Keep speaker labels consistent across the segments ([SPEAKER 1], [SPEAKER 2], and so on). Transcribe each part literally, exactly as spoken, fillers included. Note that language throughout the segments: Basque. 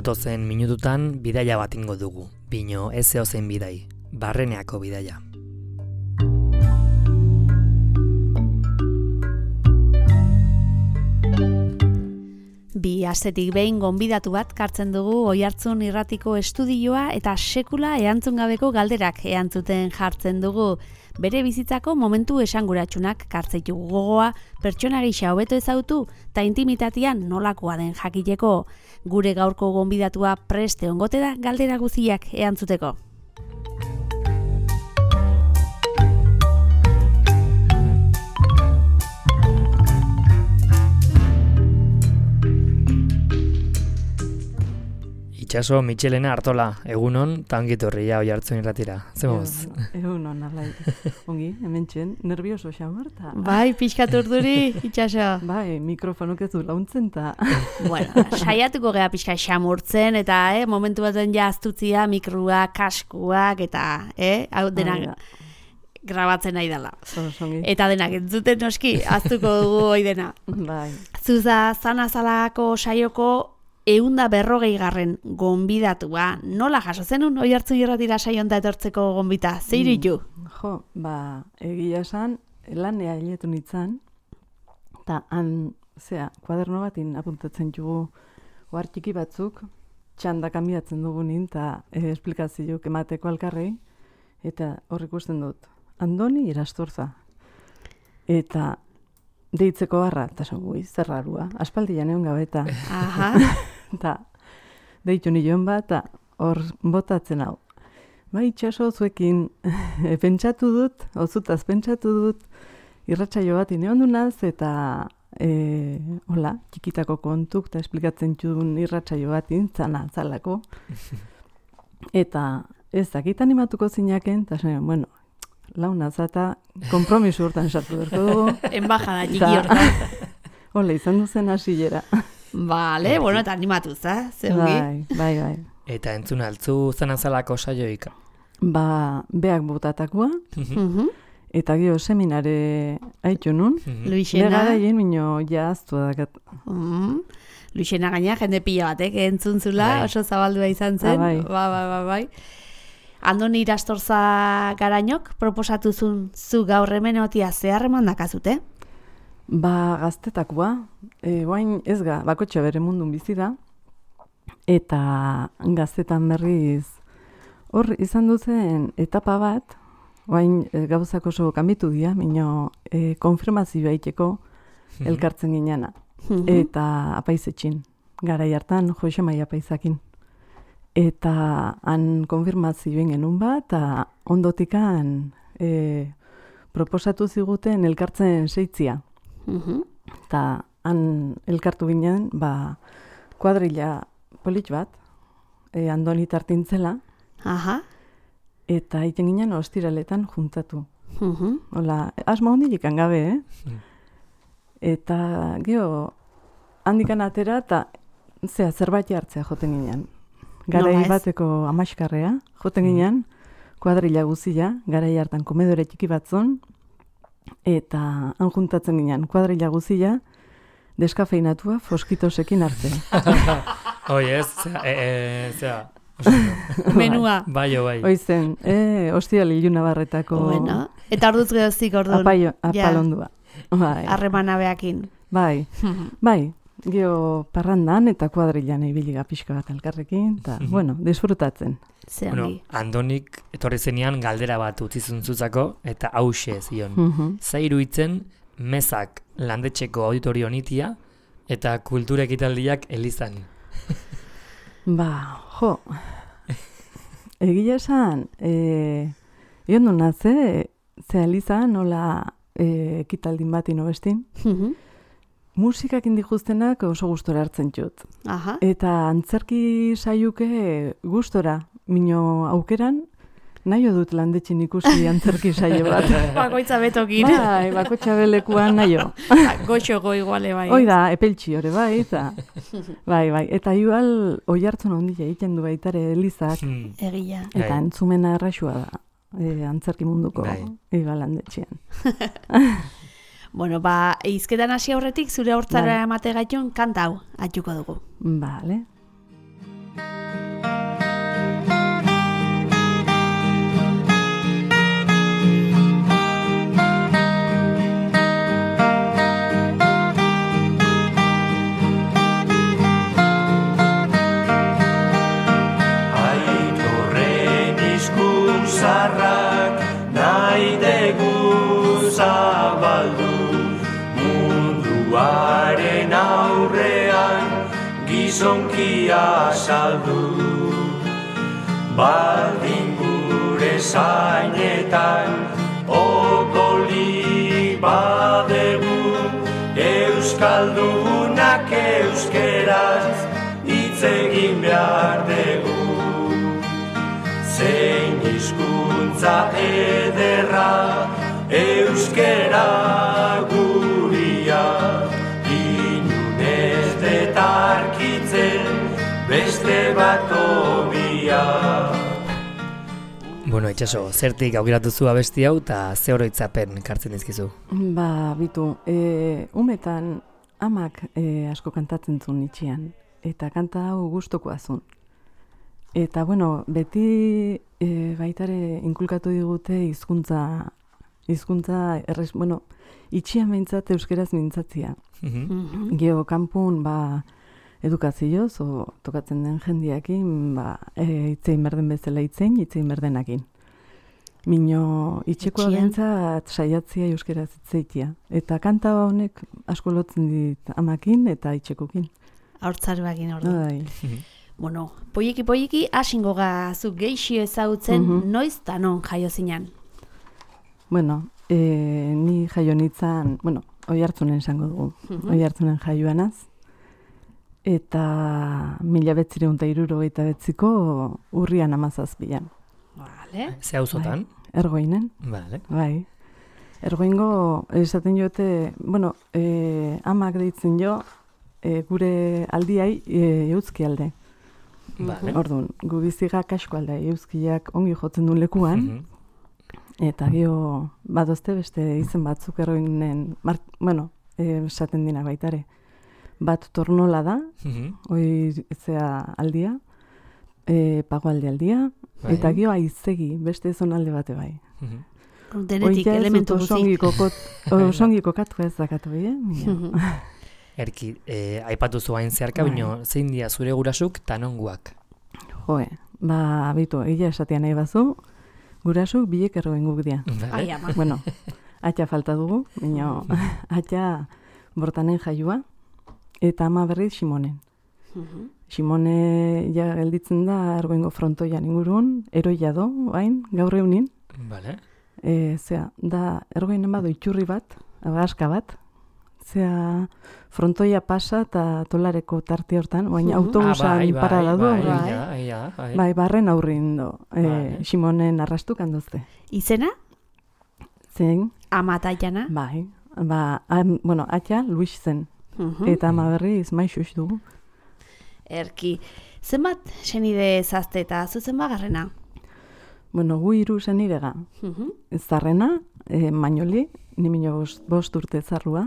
[SPEAKER 1] Datozen minututan bidaia bat ingo dugu, bino ez zeozein bidai, barreneako bidaia.
[SPEAKER 2] Bi astetik behin gonbidatu bat kartzen dugu Oihartzun Irratiko estudioa eta sekula erantzun gabeko galderak erantzuten jartzen dugu. Bere bizitzako momentu esanguratsunak kartzeitu gogoa, pertsona gisa hobeto ezagutu eta intimitatean nolakoa den jakiteko. Gure gaurko gonbidatua preste ongote da galdera guztiak erantzuteko.
[SPEAKER 1] Itxaso, Mitxelena Artola, egunon, eta ongitorria Oihartzun Irratira. Zemoz?
[SPEAKER 3] Egunon, alai. Ongi, hemen txen, nervioso xamarta.
[SPEAKER 2] Bai, pixkat urduri, Itxaso.
[SPEAKER 3] Bai, mikrofonuk ez du launtzen ta.
[SPEAKER 2] Bueno, saiatuko gea pixka xamurtzen, eta eh, momentu baten ja aztutzia, mikruak, kaskuak, eta eh, hau denak grabatzen nahi dela. Eta denak entzuten noski, aztuko dugu hoi dena.
[SPEAKER 3] Bai.
[SPEAKER 2] Zuza, zanazalako saioko eunda berrogei garren gonbidatua. Nola jaso zenun Oihartzun Irratira saionta etortzeko gonbita? Zeiritu?
[SPEAKER 3] Mm, jo, ba, egia esan, lanea hiletu nintzen, eta han, zea, kuaderno batin apuntatzen jugu oar txiki batzuk, txanda kamiatzen dugunin, eta e, esplikazioak emateko alkarrei, eta hor ikusten dut, Andoni Irastorza. Eta deitzeko barra, eta zogui, zerrarua, aspaldian egon gabeta.
[SPEAKER 2] Aha.
[SPEAKER 3] Eta deitu nion bat, eta hor botatzen hau. Ba, Itxaso zuekin e, pentsatu dut, ozutaz pentsatu dut, irratsaio bat ineondunaz, eta e, hola, txikitako kontuk, eta esplikatzen txudun irratsaio bat intzana zalako. Eta ez dakit animatuko zinaken, eta zen, bueno, launa zata, kompromisu hortan sartu berko dugu.
[SPEAKER 2] Embajada txiki hortan.
[SPEAKER 3] Hola, izan duzen hasilera.
[SPEAKER 2] Vale, bueno, eta animatu, za?
[SPEAKER 3] Bai, bai, bai.
[SPEAKER 1] Eta entzun altzu zanazalako saioik?
[SPEAKER 3] Ba, beak botatakoa, eta gio seminare haitu nun.
[SPEAKER 2] Luixena.
[SPEAKER 3] Negara hien minio jaztu dakat.
[SPEAKER 2] Mm. Luixena gaina, jende pila batek, entzun zula, oso zabaldua izan zen.
[SPEAKER 3] Bai,
[SPEAKER 2] ba, ba, ba, bai. Andoni Irastorza garainok, proposatuzun zu gaur hemen otia zeharreman dakazute?
[SPEAKER 3] Ba, gaztetakoa, e, guain ez ga, bakotxe bere mundun bizi da, eta gaztetan berriz, hor izan duzen etapa bat, guain e, gauzak oso kanbitu dira, minio e, konfirmazioa iteko elkartzen gineana, eta apaizetxin, garai hartan Jose Maia apaizakin. Eta han konfirmazioen genuen bat, eta ondotikan e, proposatu ziguten elkartzen seitzia. Eta han elkartu ginen, ba, kuadrilla polit bat, e, Andoni tartintzela,
[SPEAKER 2] Aha.
[SPEAKER 3] eta iten ginen ostiraletan juntatu. Hola, asma hondilik gabe, eh? Eta geho, handikan atera, eta zea, zerbait hartzea joten ginen. Garai bateko amaskarrea, joten ginen, kuadrilla guzia, garai hartan komedore txiki batzon, eta han juntatzen ginen, kuadrilla guzia, deskafeinatua foskitosekin hartzea.
[SPEAKER 1] Hoi ez, zera, e, e, zera.
[SPEAKER 2] Menua.
[SPEAKER 1] Bai, bai.
[SPEAKER 3] Hoizen, e, ostial iluna barretako.
[SPEAKER 2] Bueno, eta orduz gehozik orduan.
[SPEAKER 3] Apaio, apalondua. Bai.
[SPEAKER 2] Harremana beakin.
[SPEAKER 3] Bai, bai. Geo parrandan eta kuadrillan ibiliga pixka bat elkarrekin, eta, bueno, disfrutatzen.
[SPEAKER 1] Bueno, Andonik etorri zenean galdera bat utzi zuntzuzako, eta hause zion. Zairu itzen, mezak landetxeko auditorio nitia, eta kultura ekitaldiak elizan.
[SPEAKER 3] Ba, jo, egia esan, e, ion duna ze, ze elizan, nola e, ekitaldin bat inobestin, musikak indijuztenak oso gustora hartzen txut.
[SPEAKER 2] Aha.
[SPEAKER 3] Eta antzerki saiuke gustora, mino aukeran, nahi dut landetxin ikusi antzerki saio bat.
[SPEAKER 2] Bakoitza betokin.
[SPEAKER 3] Bai, bakotxa belekuan nahi
[SPEAKER 2] Goxoko iguale bai.
[SPEAKER 3] Hoi da, epeltxi hori bai, eta bai, bai. Eta igual Oihartzun handia egiten du baitare elizak.
[SPEAKER 2] Egia.
[SPEAKER 3] Eta entzumena erraxua da, e, antzerki munduko igual landetxian.
[SPEAKER 2] Bueno, ba, izketan hasi aurretik zure hortzara emate gaitun kanta hau atxuko dugu.
[SPEAKER 3] Vale.
[SPEAKER 4] gizonkia saldu. Baldin gure zainetan odolik badegu, euskaldunak euskeraz hitz egin behar dugu. Zein hizkuntza ederra euskera guria, inunez detarkitzen beste bat obia.
[SPEAKER 1] Bueno, Itxaso, zertik aukeratu zu abesti hau eta ze oroitzapen kartzen dizkizu?
[SPEAKER 3] Ba, bitu, e, umetan amak e, asko kantatzen zuen itxian, eta kanta hau gustukoa zuen. Eta, bueno, beti e, baitare inkulkatu digute hizkuntza, hizkuntza errez, bueno, itxian behintzat euskeraz mintzatzia. Mm-hmm. Geo kanpun, ba, edukazioz, o tokatzen den jendiakin, ba, e, itzein berden bezala itzein, itzein berdenakin. Mino, itxekoa bentzat saiatzia euskeraz itzeitia. Eta kanta honek asko lotzen dit amakin eta itxekokin.
[SPEAKER 2] Haurtzaruakin ordu.
[SPEAKER 3] Bai.
[SPEAKER 2] Bueno, poieki poieki asingo gazu geixio ezagutzen, mm-hmm. noiz eta non jaio zinan?
[SPEAKER 3] Bueno, e, ni jaio nintzen, bueno, Oiartzunen esango dugu. Mm-hmm. Oiartzunen jaioanaz. Eta mila betzireun eta hirurogeita betziko urrian amazazpian.
[SPEAKER 2] Vale.
[SPEAKER 1] Ze auzotan?
[SPEAKER 3] Bai, Ergoinen.
[SPEAKER 1] Vale.
[SPEAKER 3] Bai. Ergoingo esaten jote, bueno, e, amak deitzen jo, e, gure aldiai e, eutzki alde.
[SPEAKER 1] Vale.
[SPEAKER 3] Orduan, gu bizigak asko alde, eutzkiak ongi jotzen duen lekuan, mm-hmm. eta gio badozte beste izen batzuk Ergoinen, bueno, e, esaten dina baitare. Bat tornola da, mm-hmm. hoi zea aldia, e, pagoalde aldia, bai. Eta gio aizegi, beste zonalde bate bai.
[SPEAKER 2] Mm-hmm. Denetik elementu guzik.
[SPEAKER 3] Osongi kokatu ez dakatu, eh? Mm-hmm.
[SPEAKER 1] Erki, eh, aipatu zuain zeharka, bai. Bino, zein dia zure gurasuk tanonguak?
[SPEAKER 3] Joe, ba, bitu, egia esatia nahi bazu, gurasuk bilek erroen guk dia.
[SPEAKER 2] Ai, ama.
[SPEAKER 3] Bueno, atxa falta dugu, bino, atxa bortanen jaiua, eta ama berriz Simonen. Uh-huh. Simone ja gelditzen da Ergoingo frontoian ingurun, eroia do, bain, gaur eunin.
[SPEAKER 1] Vale.
[SPEAKER 3] E, zera, da Ergoinen bado itxurri bat, agaska bat, zera, frontoia pasa eta tolareko tarte hortan, baina uh-huh. autobusan ah, bai, parada du.
[SPEAKER 1] Bai,
[SPEAKER 3] bai,
[SPEAKER 1] bai, ja, bai.
[SPEAKER 3] Bai, barren aurrin do, e, vale. Simonen arrastuk handozte.
[SPEAKER 2] Izena?
[SPEAKER 3] Zein?
[SPEAKER 2] Ama taiana?
[SPEAKER 3] Bai, ba, am, bueno, atxa Luis zen. Uh-huh. Eta ama berriz maixuz dugu.
[SPEAKER 2] Erki, zenbat senide zazte eta zuzen bagarrena?
[SPEAKER 3] Bueno, gu hiru senidega. Uh-huh. Zarrena, e, Mañoli, nimino bost, bost urte zarrua,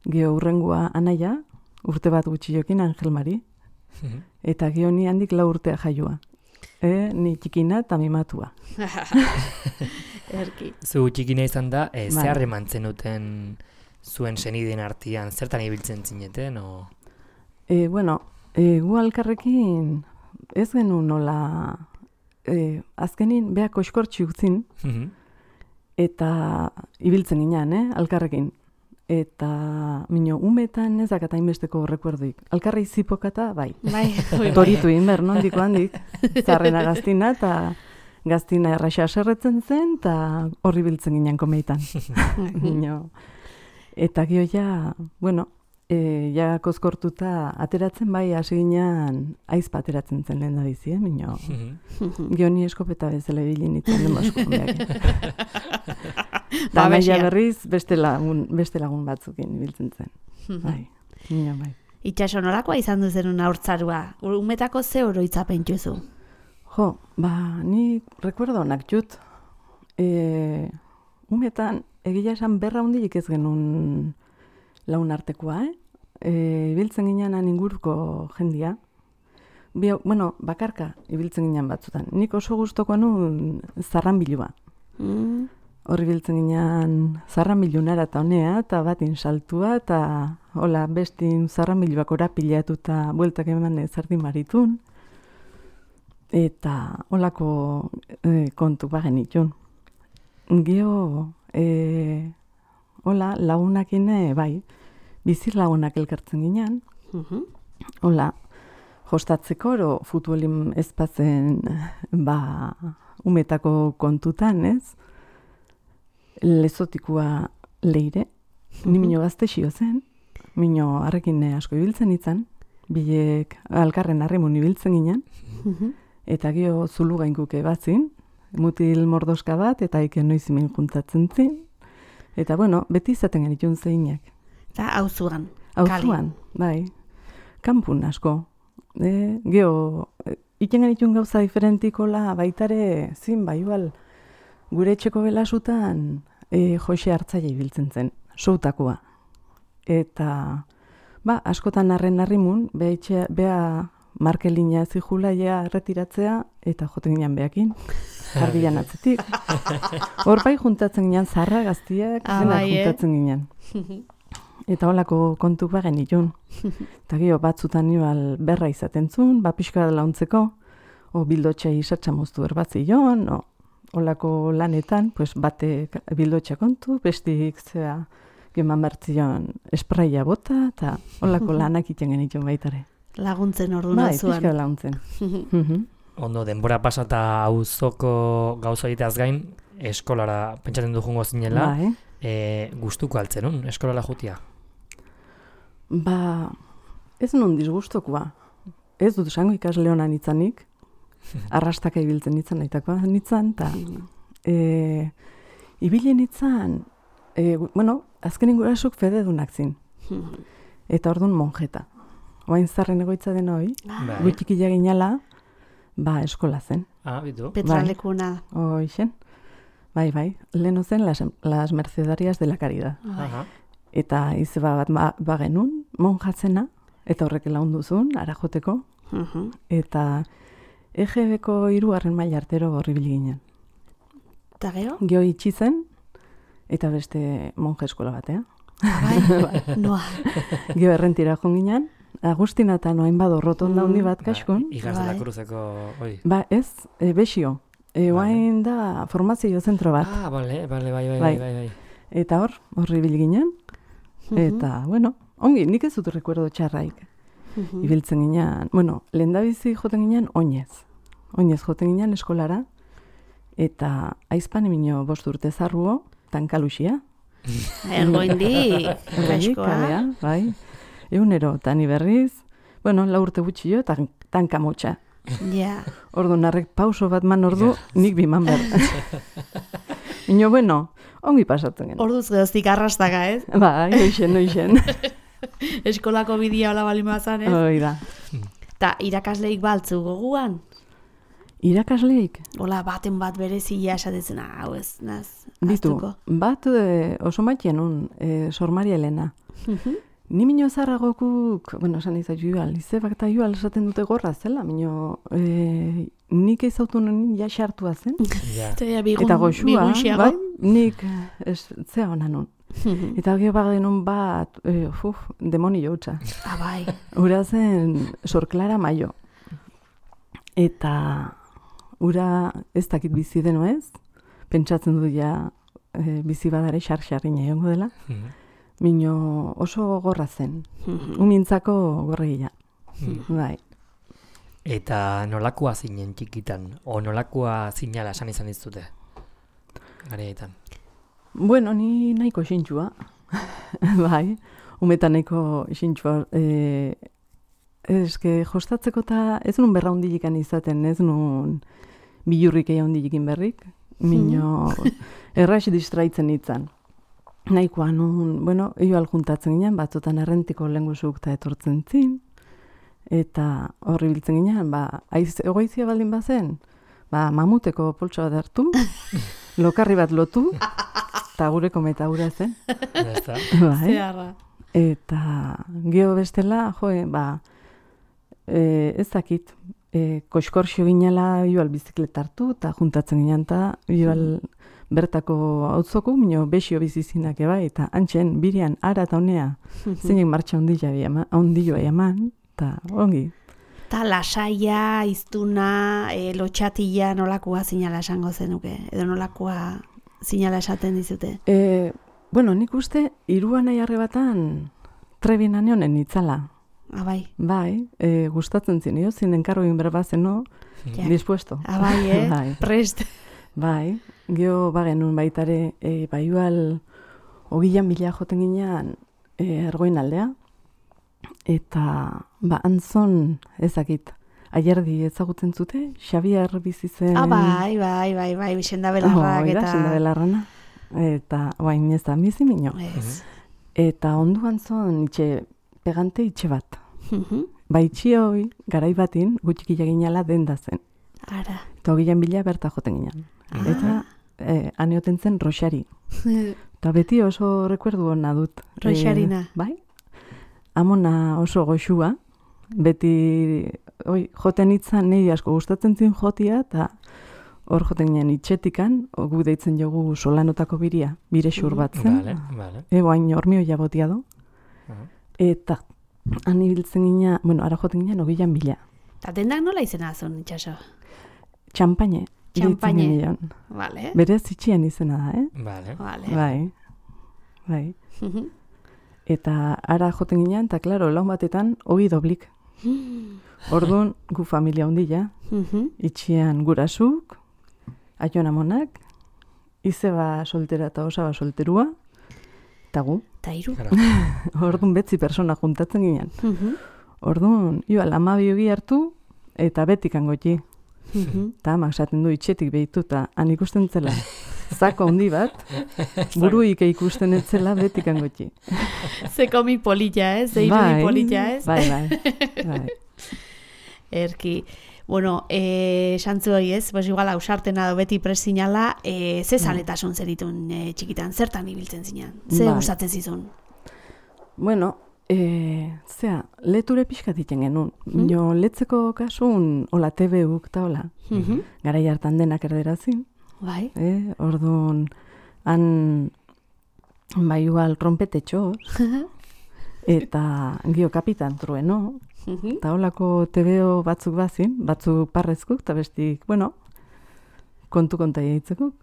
[SPEAKER 3] geo urrengua anaia, urte bat gutxiokin Angel Mari, uh-huh. eta geo ni handik lau urtea jaioa. E, ni txikina eta mimatua.
[SPEAKER 2] Erki.
[SPEAKER 1] Zu txikina izan da, e, bai. Zeharre mantzen duten zuen senideen artean, zertan ibiltzen zineten, o?
[SPEAKER 3] E, bueno, e, gu alkarrekin ez genuen nola, e, azkenin beha koskortxi utzin, mm-hmm. eta ibiltzen ginen, eh, alkarrekin. Eta, mino, umetan ez dakat hainbesteko rekuerduik. Alkarrei zipokata, bai.
[SPEAKER 2] Bai.
[SPEAKER 3] Toritu inber, nondiko handik. Zarrena gaztina, eta gaztina erraxa serretzen zen, eta horri biltzen ginen komeitan. Mino... Eta gio ja, bueno, e, ja kozkortuta ateratzen bai hasi ginean aizpa ateratzen zen lehen da bizi, eh, mino. Gio ni eskopeta bezala ibilin itzen den basko. Da naia berriz beste lagun, beste lagun batzukin ibiltzen zen. Bai, mino bai.
[SPEAKER 2] Itxaso, nolakoa izan du zenun haurtzarua? Umetako ze oroitzapen juzu?
[SPEAKER 3] Jo, ba, ni rekuerdo onak jut. E, umetan, egia esan berra hundilik ez genuen laun artekoa, eh? E, ibiltzen ginean inguruko jendia. Bio, bueno, bakarka ibiltzen ginean batzutan. Nik oso gustoko nuen zarranbilua. Mm. Horri biltzen ginean zarranbilunara eta honea, eta batin saltua, eta hola, bestin zarranbiluak orapilatu eta bueltak eman zardin maritun. Eta holako e, kontu bagen itun. Gio... E, hola, lagunakin bai, bizir lagunak elkartzen ginean. Uh-huh. Hola, jostatzeko, oro futbolin ezpatzen ba, umetako kontutan, ez? Lezotikua leire, ni mino gazte xio zen, mino harrekin asko ibiltzen itzan, bilek alkarren harrimun ibiltzen ginen, eta gio zulu gainkuke batzin, mutil mordoska bat, eta iken noizimen juntatzen zin, eta bueno, beti izaten genitun zeinak.
[SPEAKER 2] Eta auzuan.
[SPEAKER 3] Auzuan, bai, kanpun asko. E, geo, iken genitun gauza diferentikola baitare, zin, bai, igual, gure etxeko belasutan e, Jose Hartzaile ibiltzen zen, soutakoa. Eta, ba, askotan arren harrimun, beha, beha Markelina zihula ja erretiratzea, eta joten ginen behakin, jarbilan atzetik. Hor bai juntatzen ginen zarra gaztiak,
[SPEAKER 2] ah,
[SPEAKER 3] denak
[SPEAKER 2] bai,
[SPEAKER 3] juntatzen ginen. Eta holako kontuk bagen itun. Eta gio batzutan igual berra izaten zuen, ba pixka launtzeko, o bildotxea isatxa moztu erbatzion, o holako lanetan, pues bate bildotxa kontu, bestik zea geman bertzion espraia bota, eta holako lanak iten genitun baitare.
[SPEAKER 2] Laguntzen ordu
[SPEAKER 3] bai,
[SPEAKER 2] nazuan.
[SPEAKER 3] Bai, pixka laguntzen.
[SPEAKER 1] Ondo, denbora pasata auzoko gauza egiteaz gain, eskolara pentsatzen du jungo zinela,
[SPEAKER 3] bai.
[SPEAKER 1] e, gustuko altzen, un? Eskolara jutia?
[SPEAKER 3] Ba, ez nun disgustokoa. Ez dut esango ikasle honan itzanik, arrastaka ibiltzen itzan naitakoa nitzan, eta e, ibilen itzan, e, bueno, azkenin gurasuk fededunak zin. Eta orduan monjeta. Oain zarren egoitza den hoi,
[SPEAKER 1] Bai.
[SPEAKER 3] gutxikila ginala, ba, eskola zen.
[SPEAKER 1] Ah, bitu.
[SPEAKER 2] Petralekuna.
[SPEAKER 3] Hoixen. Bai, bai, leheno zen las, las mercedarias de la caridad.
[SPEAKER 1] Aha.
[SPEAKER 3] Eta izeba bat ba, bagenun, monjatzena, eta horrek launduzun, ara joteko,
[SPEAKER 2] Uh-huh.
[SPEAKER 3] eta E G B-ko hirugarren maila artero horribil ginen.
[SPEAKER 2] Eta gero?
[SPEAKER 3] Geo itxi zen, eta beste monja eskola batea.
[SPEAKER 2] Bai, noa.
[SPEAKER 3] Geo errentira joan ginen, Agustina eta noain bado rotonda handi bat kaskun.
[SPEAKER 1] Igaz de la
[SPEAKER 2] Bai.
[SPEAKER 1] Cruzeko, oi.
[SPEAKER 3] Ba, ez, e, Bexio. E, oain da formazio zentro bat.
[SPEAKER 1] Ah, bale, bale, bai, bai,
[SPEAKER 3] Bai.
[SPEAKER 1] bai, bai.
[SPEAKER 3] Eta hor, horribil ginen. Eta, bueno, ongi, nik ez dut rekuerdo txarraik.
[SPEAKER 2] Uh-huh.
[SPEAKER 3] Ibiltzen ginen, bueno, lehendabizi joten ginen oinez. Oinez joten ginen eskolara, eta aizpan emino bost urte zarruo, tankaluxia.
[SPEAKER 2] Ergoindi,
[SPEAKER 3] Ergoindik,
[SPEAKER 2] freskoa.
[SPEAKER 3] kalea, bai. Egunero, tani berriz, bueno, lau urte gutxio, eta tankamotxa.
[SPEAKER 2] Ja.
[SPEAKER 3] Ordu narrek pauso bat man ordu, nik biman behar. Ino, bueno, ongi pasatzen gen.
[SPEAKER 2] Orduz geroztik arrastaka, ez?
[SPEAKER 3] Bai, oixen, oixen.
[SPEAKER 2] Eskolako bidia hola balin bazan, ez?
[SPEAKER 3] Hoi da.
[SPEAKER 2] Ta irakasleik baltzu goguan?
[SPEAKER 3] Irakasleik,
[SPEAKER 2] Hola, baten bat berezia esatetzen, hau ez, naz,
[SPEAKER 3] ditu,
[SPEAKER 2] ahaztuko.
[SPEAKER 3] bat e, oso matien un, e, Sor Maria Elena.
[SPEAKER 2] Mhm.
[SPEAKER 3] Ni mino zarragokuk, bueno, esan izan jual, izebak eta jual esaten dute gorra zela, mino, e, nik eizautu nuen ja xartua zen.
[SPEAKER 1] Ja.
[SPEAKER 2] Eta, bigun,
[SPEAKER 3] Eta goxua,
[SPEAKER 2] bigunxiago.
[SPEAKER 3] bai, nik ez, zea honan nun.
[SPEAKER 2] Mhm.
[SPEAKER 3] Eta gero bagenun bat, e, uf, demoni joutza.
[SPEAKER 2] Ah, bai.
[SPEAKER 3] Ura zen Sor Clara Mayo. Eta ura ez dakit bizi deno ez, pentsatzen du ja e, bizi badare xar-xarrina egongo dela.
[SPEAKER 1] Mhm.
[SPEAKER 3] Mino oso gogorra zen,
[SPEAKER 2] Mhm.
[SPEAKER 3] umintzako gorregia.
[SPEAKER 1] Mhm.
[SPEAKER 3] Bai.
[SPEAKER 1] Eta nolakoa zinen txikitan, o nolakoa zinala esan izan dizute? Gareetan.
[SPEAKER 3] Bueno, ni nahiko xintxua. Bai, umetan nahiko xintxua. E, eske jostatzeko eta ez nun berra hundilikan izaten, ez nun bilurrik eia hundilikin berrik. Mino, erraix distraitzen itzan. Nahikoa nun, bueno, ioal juntatzen ginen, batzutan errentiko lengusuk eta etortzen zin. Eta horri biltzen ginen, ba, aiz, egoizia baldin bazen, ba, mamuteko poltsa bat hartu, lokarri bat lotu, eta gureko metaura zen.
[SPEAKER 1] Ya está.
[SPEAKER 3] Bai.
[SPEAKER 2] Zeharra.
[SPEAKER 3] Eta geho bestela, joe, ba, e, ez dakit, e, koxkorxio ginela igual bizikleta hartu, eta juntatzen ginen, eta igual bertako autzoko, mino besio bizizinak eba, eta antxen, birian, ara eta honea, zeinek martxa ondilloa eman, eta ongi.
[SPEAKER 2] Ta lasaia, iztuna, e, lotxatila nolakoa zinala esango zenuke, edo nolakoa zinala esaten dizute.
[SPEAKER 3] E, bueno, nik uste, iruan nahi arrebatan trebin honen itzala.
[SPEAKER 2] Abai.
[SPEAKER 3] Bai, e, gustatzen zinio, zin enkargo egin berbazeno,
[SPEAKER 2] Ja.
[SPEAKER 3] dispuesto.
[SPEAKER 2] Abai, eh?
[SPEAKER 3] Bai.
[SPEAKER 2] Prest.
[SPEAKER 3] Bai, geho bagenun baitare, e, baiual hogian bila joten ginean e, ergoin aldea, eta ba, antzon ezakit, aierdi ezagutzen zute, Xabier bizi zen...
[SPEAKER 2] Ah, bai, bai, bai, bai, senda belarrak
[SPEAKER 3] Oh,
[SPEAKER 2] eta...
[SPEAKER 3] eta... senda belarrana. Eta, bain ez da, bizi mino.
[SPEAKER 2] Ez.
[SPEAKER 3] Eta onduan zon, itxe, pegante itxe bat.
[SPEAKER 2] Mhm.
[SPEAKER 3] Ba, itxioi, garai batin, gutxikila ginala denda zen.
[SPEAKER 2] Ara.
[SPEAKER 3] Eta hogian bila berta joten ginen.
[SPEAKER 2] Ah.
[SPEAKER 3] Eta eh, aneoten zen Roxari. Eta beti oso rekuerdu hona dut.
[SPEAKER 2] Roxarina.
[SPEAKER 3] Eh, bai? Amona oso goxua. Beti oi, joten itzan nahi asko gustatzen zin jotia, eta hor joten ginen itxetikan, gu deitzen jogu solanotako biria, bire xur bat zen.
[SPEAKER 1] Vale, vale.
[SPEAKER 3] Ego hain hormioia botia do.
[SPEAKER 1] Aha.
[SPEAKER 3] Eta han ibiltzen gina, bueno, ara joten ginen ogian bila.
[SPEAKER 2] Eta dendak nola izena zuen, itxaso?
[SPEAKER 3] Txampaine.
[SPEAKER 2] Txampaine.
[SPEAKER 3] deitzen genion.
[SPEAKER 2] Vale.
[SPEAKER 3] Berez itxian izena da, eh?
[SPEAKER 1] Vale.
[SPEAKER 2] Vale.
[SPEAKER 3] Bai. Bai.
[SPEAKER 2] Mhm.
[SPEAKER 3] Eta ara joten ginen, eta klaro, laun batetan, ogi doblik. Orduan, gu familia ondila,
[SPEAKER 2] Mhm.
[SPEAKER 3] itxian gurasuk, aion amonak, izeba soltera eta osaba solterua, eta gu.
[SPEAKER 2] Ta hiru.
[SPEAKER 1] Claro.
[SPEAKER 3] Orduan betzi persona juntatzen ginen.
[SPEAKER 2] Mhm.
[SPEAKER 3] Orduan, ioa, amabi ogi hartu, eta betikan goti.
[SPEAKER 2] Mhm.
[SPEAKER 3] Eta amak esaten du itxetik behitu, eta han ikusten zela. Zako handi bat, buruik ikusten etzela betikan goti.
[SPEAKER 2] Ze komi polita, ez? Ze irudi polita, ez?
[SPEAKER 3] Bai, bai, bai.
[SPEAKER 2] Erki. Bueno, eh, santzu hori ez, pues igual ausartena do beti presinala, eh, ze zaletasun zeritun eh, txikitan, zertan ibiltzen zinan? Ze
[SPEAKER 3] Bai.
[SPEAKER 2] gustatzen zizun?
[SPEAKER 3] Bueno, e, zea, leture pixkat iten genuen. Jo, letzeko kasun, hola, T V-uk eta hola,
[SPEAKER 2] Mhm.
[SPEAKER 3] garai hartan denak erderazin,
[SPEAKER 2] Bai.
[SPEAKER 3] eh? Orduan, han, bai igual, trompetetxoz, eta gio kapitan trueno,
[SPEAKER 2] Mhm.
[SPEAKER 3] eta holako T V-o batzuk bazin, batzuk parrezkuk, eta bestik, bueno, kontu konta eitzekuk.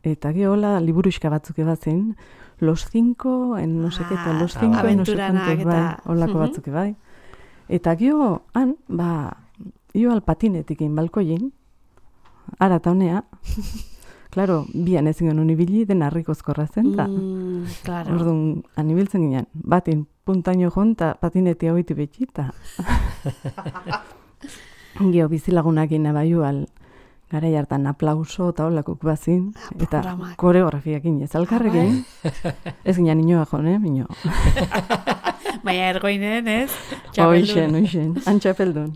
[SPEAKER 3] Eta gio hola, liburuxka batzuk ebazin, Los Cinco, en no sé qué, eta Los
[SPEAKER 1] Ah,
[SPEAKER 3] Cinco, en no sé
[SPEAKER 2] aventuranak
[SPEAKER 3] cuántos, bai,
[SPEAKER 2] eta-
[SPEAKER 3] holako
[SPEAKER 2] Mhm.
[SPEAKER 3] batzuk bai. Eta gio, han, ba, io alpatinetik egin balkoien, ara eta honea, klaro, bian ezin genuen ibili, den harrikozkorra zen, eta
[SPEAKER 2] Mm, claro.
[SPEAKER 3] orduan, han ibiltzen ginen, batin puntaino joan, eta patinetia hoiti beti, eta gio bizilagunakin abaiual, garai hartan aplauso eta holakuk bazin,
[SPEAKER 2] Ah,
[SPEAKER 3] eta
[SPEAKER 2] programak.
[SPEAKER 3] koreografiakin ez alkarrekin, ez ginen inoa joan, eh, minio.
[SPEAKER 2] Baina ergoinen, ez?
[SPEAKER 3] Oixen, oixen, antxapeldun.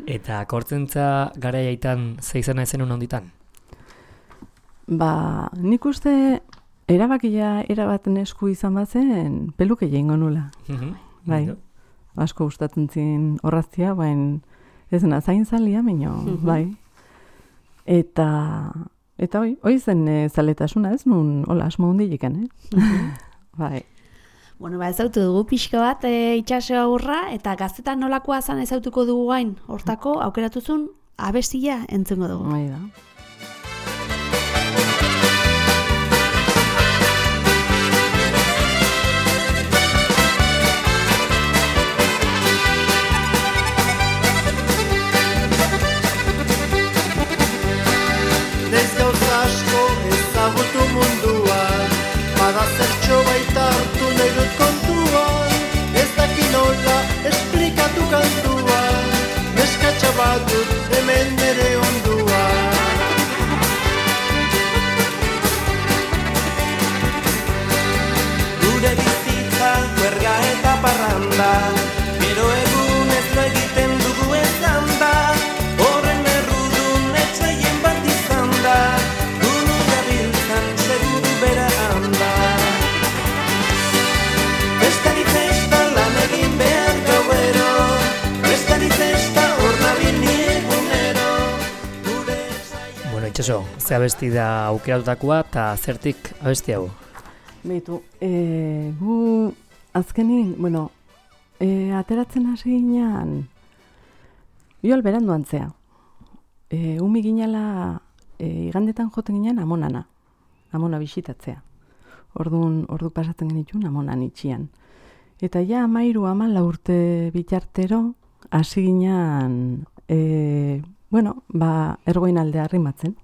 [SPEAKER 1] Eta kortzentza garaiaitan ze izena ezen honditan?
[SPEAKER 3] Ba, nik uste erabakia erabaten esku izan bazen peluke jengo nula. Bai, asko gustatzen zin horraztia, bain ez na zain zalia, minio,
[SPEAKER 2] Mhm.
[SPEAKER 3] bai. Eta, eta hoi, hoi zen e, zaletasuna ez, nun, hola, asmo hundilekan, eh? Bai.
[SPEAKER 2] Bueno, ba, ezautu dugu pixka bat e, itxaso aurra, eta gaztetan nolakoa zan ezautuko dugu gain, hortako aukeratuzun abestia entzungo dugu.
[SPEAKER 3] Bai da.
[SPEAKER 5] Ez gauza asko ezagutu munduan, bada zertxo baita hartu nahi dut kontuan, ez daki nola esplikatu kantuan, neskatxa bat dut hemen nere onduan. Gure bizitza huerga eta parranda, gero egun ez lo egiten dugu ezan da, horren errudun etxaien bat izan da, gunu gabiltzan seguru bera handa. Festari festa lan egin behar gauero, festari festa hor nabil ni egunero, gure etxaien...
[SPEAKER 1] Bueno, itxaso, ze abesti da aukeratutakoa eta zertik abesti hau?
[SPEAKER 3] Beitu, e, gu azkenin, bueno, e, ateratzen hasi ginean, joal berandu antzea. E, umi ginala, e, igandetan joten ginean amonana, amona bisitatzea. Orduan, ordu pasatzen genituen amonan itxian. Eta ja amairu amala urte bitartero, hasi ginean, e, bueno, ba, ergoin aldea arrimatzen.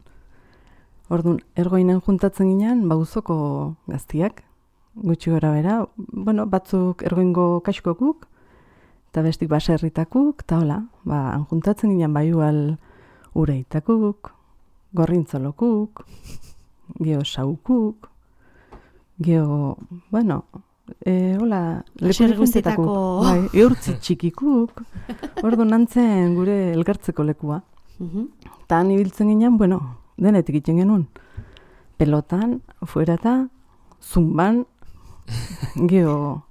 [SPEAKER 3] Orduan, ergoinen juntatzen ginean, ba, uzoko gaztiak, gutxi gora bera, bueno, batzuk ergoingo kaskokuk, eta bestik baserritakuk, eta hola, ba, juntatzen ginean, ba, igual ureitakuk, gorrintzolokuk, geho saukuk, geho, bueno, e, hola, leku guztietako, bai, eurtzi txikikuk, orduan nantzen gure elkartzeko lekua. Eta han ibiltzen ginean, bueno, denetik iten genuen. Pelotan, fuerata, zumban, geho,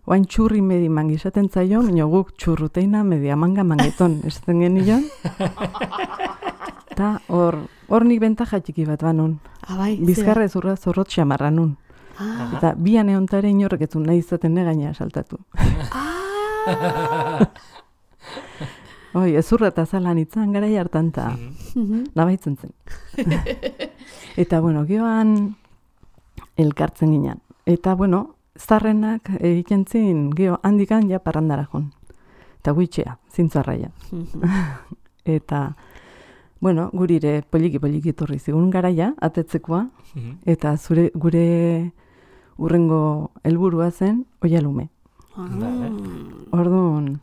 [SPEAKER 3] oain txurri medi mangizaten zaio, minio guk txurruteina media manga mangeton esaten genion. Eta hor, hor nik bentaja txiki bat banon.
[SPEAKER 2] Abai,
[SPEAKER 3] bizkarra ezurra zorrot xamarra nun.
[SPEAKER 2] Ah.
[SPEAKER 3] Eta bian eontare inorrek ez nahi izaten negaina saltatu.
[SPEAKER 2] Ah!
[SPEAKER 3] Oi, ezurra eta zalan itzan garai hartan eta nabaitzen zen. Eta, bueno, gioan elkartzen ginen. Eta, bueno, zarrenak egiten zin, gio, handikan ja parrandara joan. Eta guitxea, zintzuarraia. Eta, bueno, gurire poliki-poliki torri zigun garaia, atetzekoa, eta zure gure urrengo helburua zen oialume. Orduan,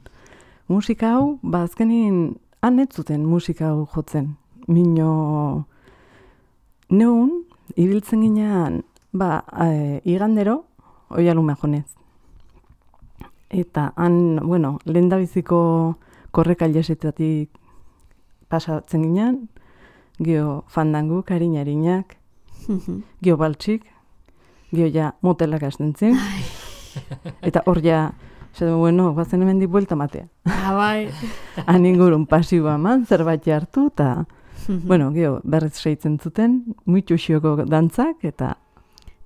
[SPEAKER 3] musika hau, ba azkenin, han ez zuten musika hau jotzen. Mino, neun, ibiltzen ginean, ba, e, igandero, oialume jonez. Eta han, bueno, lehendabiziko korrekailesetatik pasatzen ginean, gio fandangu, karin-harinak, gio baltxik, gio ja motelak hasten zen, eta hor ja, esaten, bueno, guazen hemen di buelta matea.
[SPEAKER 2] Abai.
[SPEAKER 3] Han ingurun pasiua eman, zerbait hartu, eta, bueno, gio, berriz seitzen zuten, muitu xioko dantzak, eta...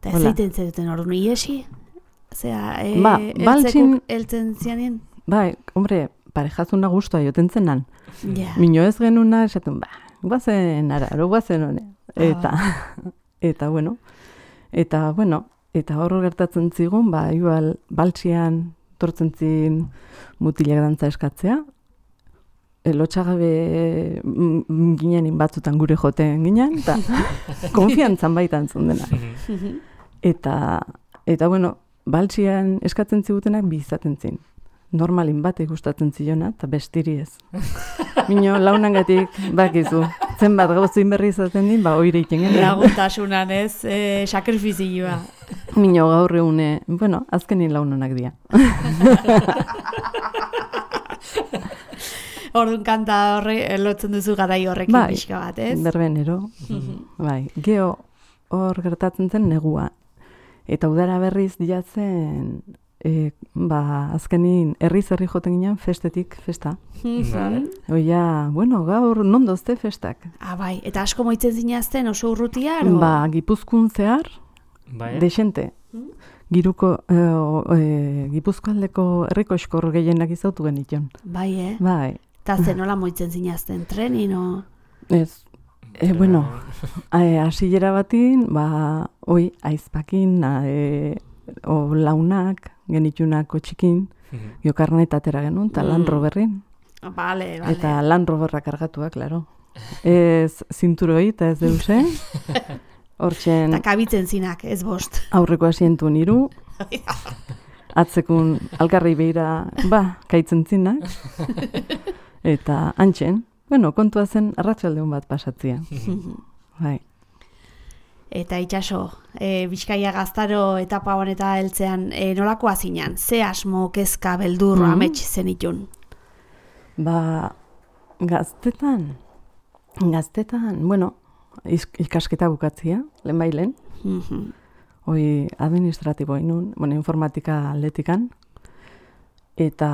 [SPEAKER 2] Eta ez zeiten zuten ordu iesi? Zea, e,
[SPEAKER 3] ba, baltzin...
[SPEAKER 2] eltzen zianien?
[SPEAKER 3] Bai, hombre, parejazuna guztua joten zenan.
[SPEAKER 2] Yeah.
[SPEAKER 3] Mino ez genuna, esaten, ba, guazen araro, guazen hone. Eta, ah, eta, bueno, eta, bueno, eta hor gertatzen zigun, ba, igual, baltzian tortzen zin mutilak dantza eskatzea, lotxagabe ginenin batzutan gure joten ginen, eta konfiantzan baitan zundena. Eta, eta, bueno, baltzian eskatzen zigutenak bi izaten zin. Normalin batek gustatzen ziona, eta bestiri ez. Mino, launangatik, bakizu, zenbat gauzin berri izaten din, ba, oire iten genuen.
[SPEAKER 2] Lagutasunan ez, e, sakrifizioa.
[SPEAKER 3] Mino, gaur egune, bueno, azkenin launanak dira.
[SPEAKER 2] Orduan kanta horre, lotzen duzu garai horrekin
[SPEAKER 3] bai,
[SPEAKER 2] pixka bat, ez?
[SPEAKER 3] Berbenero, bai, geho hor gertatzen zen negua. Eta udara berriz diatzen, e, ba, azkenin herriz-herri joten ginen festetik festa. Oia, bueno, gaur nondozte festak.
[SPEAKER 2] Ah, bai, eta asko moitzen zinazten oso urrutia, aro?
[SPEAKER 3] Ba, Gipuzkoan zehar,
[SPEAKER 1] bai.
[SPEAKER 3] desente. Giruko, e, e, Gipuzkoaldeko herriko eskor gehienak izautu genition.
[SPEAKER 2] Bai, eh?
[SPEAKER 3] Bai.
[SPEAKER 2] Eta zen nola moitzen zinazten, trenin, o?
[SPEAKER 3] Ez, e, bueno, hasillera batin, ba, oi, aizpakin, e, o launak, genitxunako txikin, jokarnet atera genuen, eta Land Roverrin.
[SPEAKER 2] Bale, bale.
[SPEAKER 3] Eta Land Roverra kargatua, klaro. Ez zinturoi, eta ez deuse. Hortxen...
[SPEAKER 2] Eta kabitzen zinak, ez bost.
[SPEAKER 3] Aurreko asientu niru. Atzekun alkarri behira, ba, kaitzen zinak. Eta antxen, bueno, kontua zen arratsaldeon bat pasatzia. Bai.
[SPEAKER 2] Eta itxaso, e, Bizkaia gaztaro etapa honeta heltzean, e, nolakoa zinan? Ze asmo, kezka, beldur, mm-hmm. amets zenitun? Ba,
[SPEAKER 3] gaztetan, gaztetan, bueno, ikasketa bukatzia, lehen bailen.
[SPEAKER 2] Mm-hmm.
[SPEAKER 3] Hoi administratibo inun, bueno, informatika atletikan. Eta,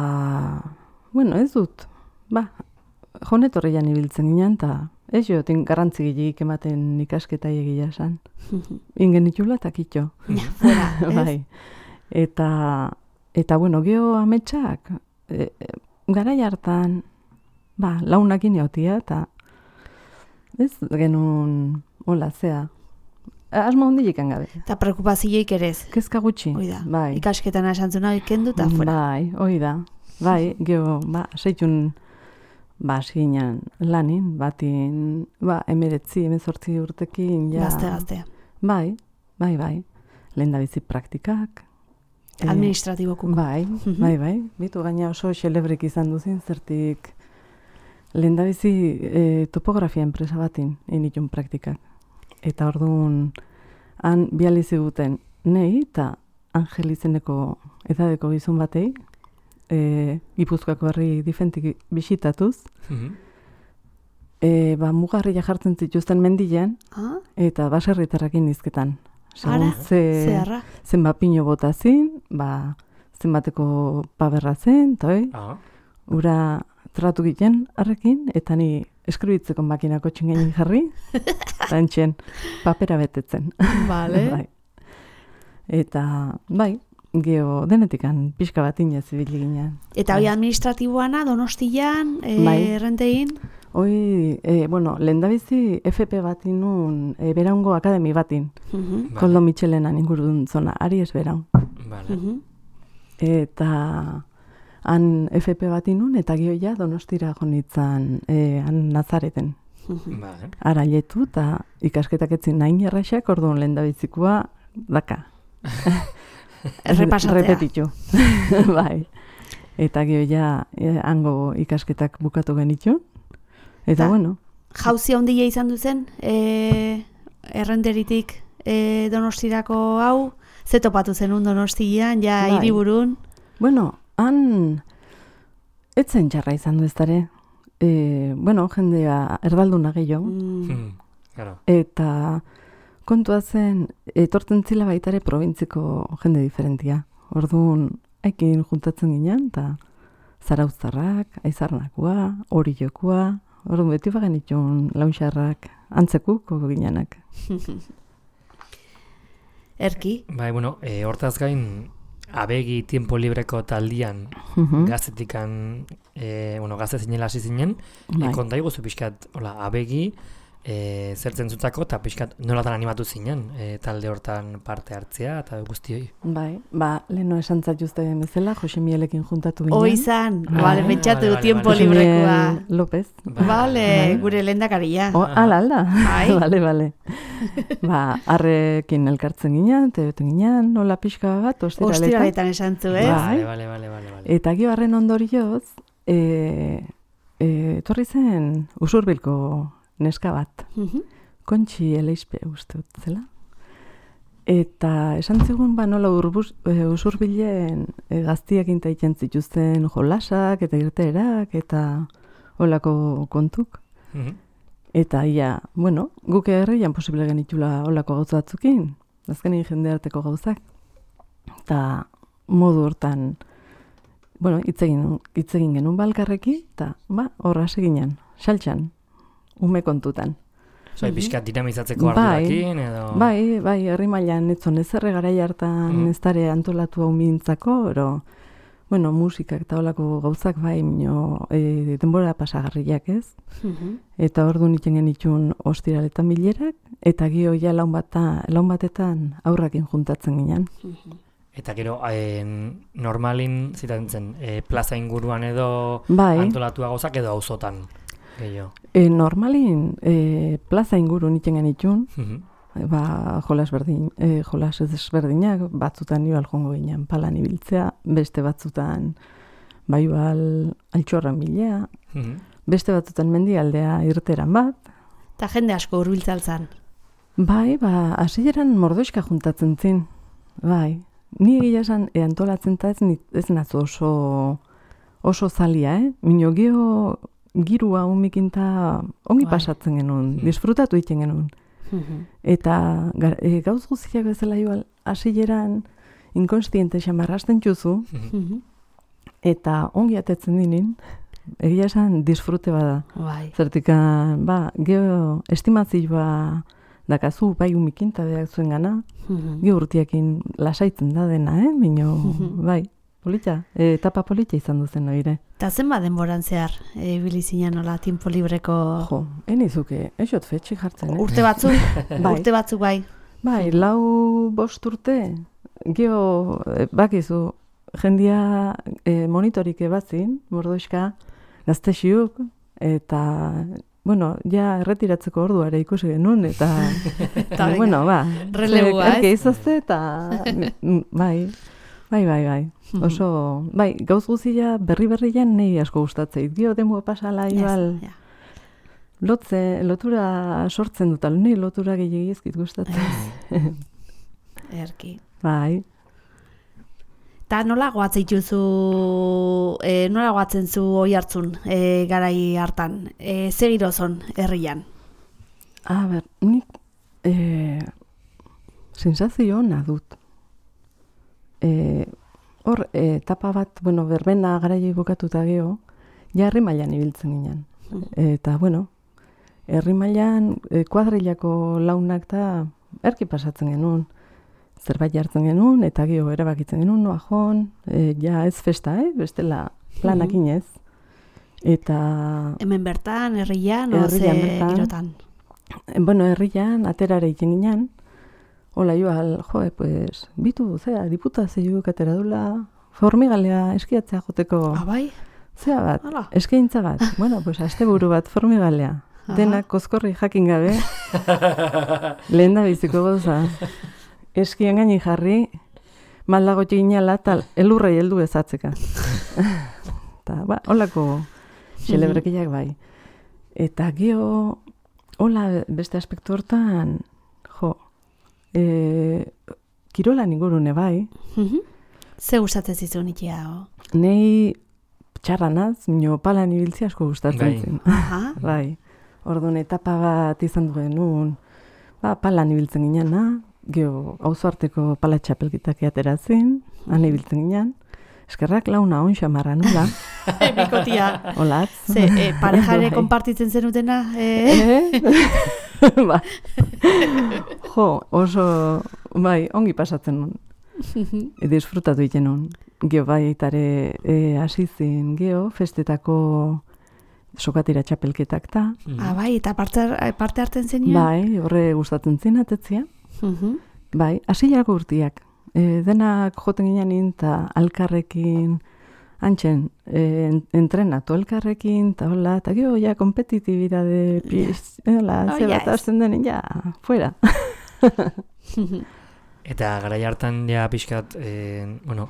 [SPEAKER 3] bueno, ez dut, ba, jonetorrian ibiltzen ginen, eta ez joten garrantzi gilik ematen ikasketa egia esan. Ingen itxula eta kitxo.
[SPEAKER 2] Ja, fuera, ez?
[SPEAKER 3] Bai. Eta, eta, bueno, geho ametsak, e, e, garai hartan, ba, launakin jautia, eta ez genuen, hola, zea, asmo hondilik gabe.
[SPEAKER 2] Eta preokupazioik ere ez.
[SPEAKER 3] Kezka gutxi.
[SPEAKER 2] Hoi da,
[SPEAKER 3] Bai.
[SPEAKER 2] ikasketan esantzuna kendu eta fuera.
[SPEAKER 3] Bai, hoi da. Bai, geho, ba, seitun, ba, asiginan lanin, batin, ba, emeretzi, emezortzi urtekin, ja.
[SPEAKER 2] Gazte, gazte.
[SPEAKER 3] Bai, bai, bai. Lehen da bizi praktikak.
[SPEAKER 2] Administratibokun.
[SPEAKER 3] Bai, bai, bai. Bitu gaina oso xelebrik izan duzin, zertik lehen da bizi e, topografia enpresa batin initun praktikak. Eta orduan, han bializi guten nei eta Angel izeneko edadeko gizon batei, e, Gipuzkoako herri difentik bisitatuz,
[SPEAKER 1] Mhm.
[SPEAKER 3] e, ba, mugarria jartzen zituzten mendian,
[SPEAKER 2] Ah,
[SPEAKER 3] eta baserritarrakin izketan. Segun
[SPEAKER 2] ara,
[SPEAKER 3] ze,
[SPEAKER 2] zeharra.
[SPEAKER 3] zenbat pino bota zin, ba, zenbateko paberra zen, eta hoi,
[SPEAKER 1] Ah,
[SPEAKER 3] ura tratu giten harrekin, eta ni eskribitzeko makinako txingenin jarri, eta entxen papera betetzen.
[SPEAKER 2] Vale.
[SPEAKER 3] Bai. Eta, bai, geho denetikan pixka bat inez ibili ginen.
[SPEAKER 2] Eta hoi administratiboana, Donostian, e,
[SPEAKER 3] Bai.
[SPEAKER 2] errentein?
[SPEAKER 3] Hoi, e, bueno, lehendabizi F P bat inun, e, Beraungo Akademi batin,
[SPEAKER 2] Mhm,
[SPEAKER 1] vale,
[SPEAKER 3] Koldo Michelenan ingurudun zona, Aries Beraun.
[SPEAKER 1] vale.
[SPEAKER 2] mhm.
[SPEAKER 3] Eta han F P bat inun, eta gio ja Donostira jonitzan, e, han Nazareten.
[SPEAKER 1] Vale.
[SPEAKER 3] Arailetu, eta ikasketak etzin nahin erraxak, orduan lehendabizikoa daka.
[SPEAKER 2] Errepasatzea.
[SPEAKER 3] Repetitu. Bai. Eta gio ja e, hango ikasketak bukatu genitun. Eta
[SPEAKER 2] Ta-
[SPEAKER 3] bueno,
[SPEAKER 2] Jauzia handia izan duzen, e, errenderitik e, Donostirako hau, ze topatu zenun Donostian, ja
[SPEAKER 3] Bai.
[SPEAKER 2] hiriburun.
[SPEAKER 3] bueno, han etzen txarra izan du eztare. E, bueno, jendea erdalduna gehiago.
[SPEAKER 2] Mm.
[SPEAKER 1] Hmm, claro.
[SPEAKER 3] Eta kontua zen, etortzen zila baitare probintziko jende diferentia. Orduan, haikin juntatzen ginen, eta zarauztarrak, aizarnakoa, hori jokua, orduan beti bagen itun launxarrak, antzekuko ginenak.
[SPEAKER 2] Erki.
[SPEAKER 1] Bai, bueno, e, hortaz gain, abegi tiempo libreko taldian,
[SPEAKER 3] Mhm.
[SPEAKER 1] gaztetikan, e, bueno, gazte zinela hasi zinen,
[SPEAKER 3] Bai.
[SPEAKER 1] e, konta iguzu pixkat, hola, abegi, e, zertzen zutako, eta pixkat nolatan animatu zinen, e, talde hortan parte hartzea, eta guzti hoi.
[SPEAKER 3] Bai, ba, leheno esan zatuzte bezala, Jose Mielekin juntatu ginen.
[SPEAKER 2] Hoi izan,
[SPEAKER 3] Bai.
[SPEAKER 2] vale, pentsatu
[SPEAKER 1] Vale, vale,
[SPEAKER 2] tiempo
[SPEAKER 1] vale.
[SPEAKER 3] Jose
[SPEAKER 2] librekoa.
[SPEAKER 3] Miel López.
[SPEAKER 2] Vale, gure lehendakaria.
[SPEAKER 3] O, ala, ala.
[SPEAKER 2] Bai.
[SPEAKER 3] Bale, bale. Ba, arrekin elkartzen ginen, tebeten ginen, nola pixka bat, ostiraletan.
[SPEAKER 2] Ostiraletan esan zu, ez?
[SPEAKER 3] Bai.
[SPEAKER 1] Vale, vale, vale, vale, vale.
[SPEAKER 3] Eta gio harren ondorioz, e, e, etorri zen usurbilko neska bat,
[SPEAKER 2] Mhm.
[SPEAKER 3] Kontxi Eleizpe uste dut zela. Eta esan zigun, ba, nola urbuz, e, usurbilen e, gaztiekin taiten zituzten jolasak eta irteerak eta olako kontuk.
[SPEAKER 1] Mhm.
[SPEAKER 3] Eta ia, bueno, guk herrian posible genitula olako gauza batzukin, azkenin jende arteko gauzak. Eta modu hortan, bueno, hitzegin hitzegin genuen balkarreki, eta ba, horra seginen, saltxan, ume kontutan.
[SPEAKER 1] Zoi, pixkat dinamizatzeko
[SPEAKER 3] Bai.
[SPEAKER 1] ardurakin, edo...
[SPEAKER 3] Bai, bai, herri mailan etzon ezerre garai hartan
[SPEAKER 1] Mm.
[SPEAKER 3] ez dare antolatu hau mintzako, ero, bueno, musikak eta olako gauzak bai, mino, e, denbora pasagarriak ez.
[SPEAKER 2] Mhm.
[SPEAKER 3] Eta ordu nitzen genitxun ostiraletan bilerak, eta gio ja laun, bata, laun batetan aurrakin juntatzen ginen.
[SPEAKER 1] Eta gero, eh, normalin zitatzen zen, eh, plaza inguruan edo
[SPEAKER 3] Bai,
[SPEAKER 1] antolatua gauzak edo auzotan gehiago.
[SPEAKER 3] e, normalin e, plaza inguru nitzen genitxun,
[SPEAKER 1] Mhm.
[SPEAKER 3] e, ba, jolas berdin, e, jolas ezberdinak, batzutan igual jongo ginen palan ibiltzea, beste batzutan ba igual altxorran bilea,
[SPEAKER 1] Mhm.
[SPEAKER 3] beste batzutan mendialdea irteran bat.
[SPEAKER 2] Eta jende asko hurbiltzaltzan.
[SPEAKER 3] Bai, ba, hasieran mordoixka juntatzen zin. Bai, ni egia esan e, antolatzen ta ez, ni- ez nazu oso, oso zalia, eh? Mino geho girua umikinta ongi
[SPEAKER 2] Bai.
[SPEAKER 3] pasatzen genuen,
[SPEAKER 1] Hmm.
[SPEAKER 3] disfrutatu egiten genuen.
[SPEAKER 2] Mhm.
[SPEAKER 3] Eta gar, e, gauz guztiak bezala igual, hasieran inkonstiente xamarrasten txuzu,
[SPEAKER 1] Mhm.
[SPEAKER 2] Mhm.
[SPEAKER 3] eta ongi atetzen dinin, egia esan disfrute bada.
[SPEAKER 2] Bai.
[SPEAKER 3] Zertikan, ba, geho estimazioa dakazu bai umikinta beak zuen gana,
[SPEAKER 2] Mhm.
[SPEAKER 3] Ge urtiakin lasaitzen da dena, eh? Mino,
[SPEAKER 2] Mhm.
[SPEAKER 3] bai, polita, e, etapa polita izan duzen noire.
[SPEAKER 2] Eta zenbat denboran zehar, e, bilizinen nola, tiempo libreko
[SPEAKER 3] Jo, enizuke, esot fetxi jartzen, eh?
[SPEAKER 2] urte batzuk,
[SPEAKER 3] Bai.
[SPEAKER 2] urte batzuk bai.
[SPEAKER 3] Bai, lau bost urte, geho, e, bakizu, jendia e, monitorik ebazin, mordoizka, gaztexiuk, eta, bueno, ja erretiratzeko orduare ikusi genuen, eta, eta bueno, ba,
[SPEAKER 2] relebua, ez?
[SPEAKER 3] Erke izazte, eta, bai, bai, bai, bai, oso, bai, gauz guzia berri-berrian nahi asko gustatzeit, geho demua pasala, igual,
[SPEAKER 2] Yes, yeah.
[SPEAKER 3] Lotze, lotura sortzen dut, alni lotura gehiagiz ezkit gustatzen.
[SPEAKER 2] Erki.
[SPEAKER 3] Bai.
[SPEAKER 2] Ta nola goatzen dituzu, e, nola goatzen zu oi hartzun e, garai hartan? E, ze girozon herrian?
[SPEAKER 3] A ber, nik e, sensazio ona dut. E, hor, e, etapa bat, bueno, berbena garaia bukatuta geho, ja herri mailan ibiltzen ginen. Eta, bueno, herri mailan e, kuadrilako launak da erki pasatzen genuen. Zerbait jartzen genuen, eta geho erabakitzen genuen, noa joan, e, ja ez festa, eh? Bestela planakin ez. Eta...
[SPEAKER 2] Hemen bertan, herrian, o ze
[SPEAKER 3] Herrian bertan.
[SPEAKER 2] girotan?
[SPEAKER 3] E, bueno, herrian, aterare egin ginen, hola joal, joe, pues, bitu, zera, diputazioak atera dula, formigalea eskiatzea joteko...
[SPEAKER 2] Ah, bai?
[SPEAKER 3] Zea bat,
[SPEAKER 2] Hala.
[SPEAKER 3] eskaintza bat. Bueno, pues asteburu bat formigalea. Denak kozkorri jakin gabe. Lehen da biziko gauza. Eskian gaini jarri, maldago txinala tal, elurrei heldu ezatzeka. Eta, ba, holako xelebrekiak bai. Eta geho, hola beste aspektu hortan, jo, e, kirolan ingurune bai,
[SPEAKER 2] Ze gustatzen zizun ikia, o?
[SPEAKER 3] nei txarranaz, mino palan ibiltzea asko gustatzen
[SPEAKER 1] Bai.
[SPEAKER 3] zen.
[SPEAKER 2] Aha.
[SPEAKER 3] Bai, orduan etapa bat izan du genuen, ba, palan ibiltzen ginena, geho, auzoarteko pala txapelkitak ateratzen, han ibiltzen ginen, eskerrak launa on xamarra nula,
[SPEAKER 2] Bikotia.
[SPEAKER 3] olatz.
[SPEAKER 2] Ze, e, parejare
[SPEAKER 3] Bai.
[SPEAKER 2] konpartitzen zenutena? E?
[SPEAKER 3] Eh? Ba. Jo, oso, bai, ongi pasatzen nun. E, disfrutatu iten nun. Geho, bai, itare e, asizin, geho, festetako sokatira txapelketak ta.
[SPEAKER 2] Ah, bai, eta parte, parte hartzen zenean?
[SPEAKER 3] Bai, horre gustatzen zin, atetzia.
[SPEAKER 2] Mhm.
[SPEAKER 3] Bai, hasi jarako urtiak. E, denak joten ginen eta alkarrekin, antxen, e, en- entrenatu alkarrekin, eta hola, eta gero, ja, kompetitibidade, piz, hola,
[SPEAKER 2] Oh,
[SPEAKER 3] ze
[SPEAKER 2] ja,
[SPEAKER 3] bat
[SPEAKER 2] ez.
[SPEAKER 3] hasten denen, ja, fuera.
[SPEAKER 1] Eta garai hartan ja pixkat, e, bueno,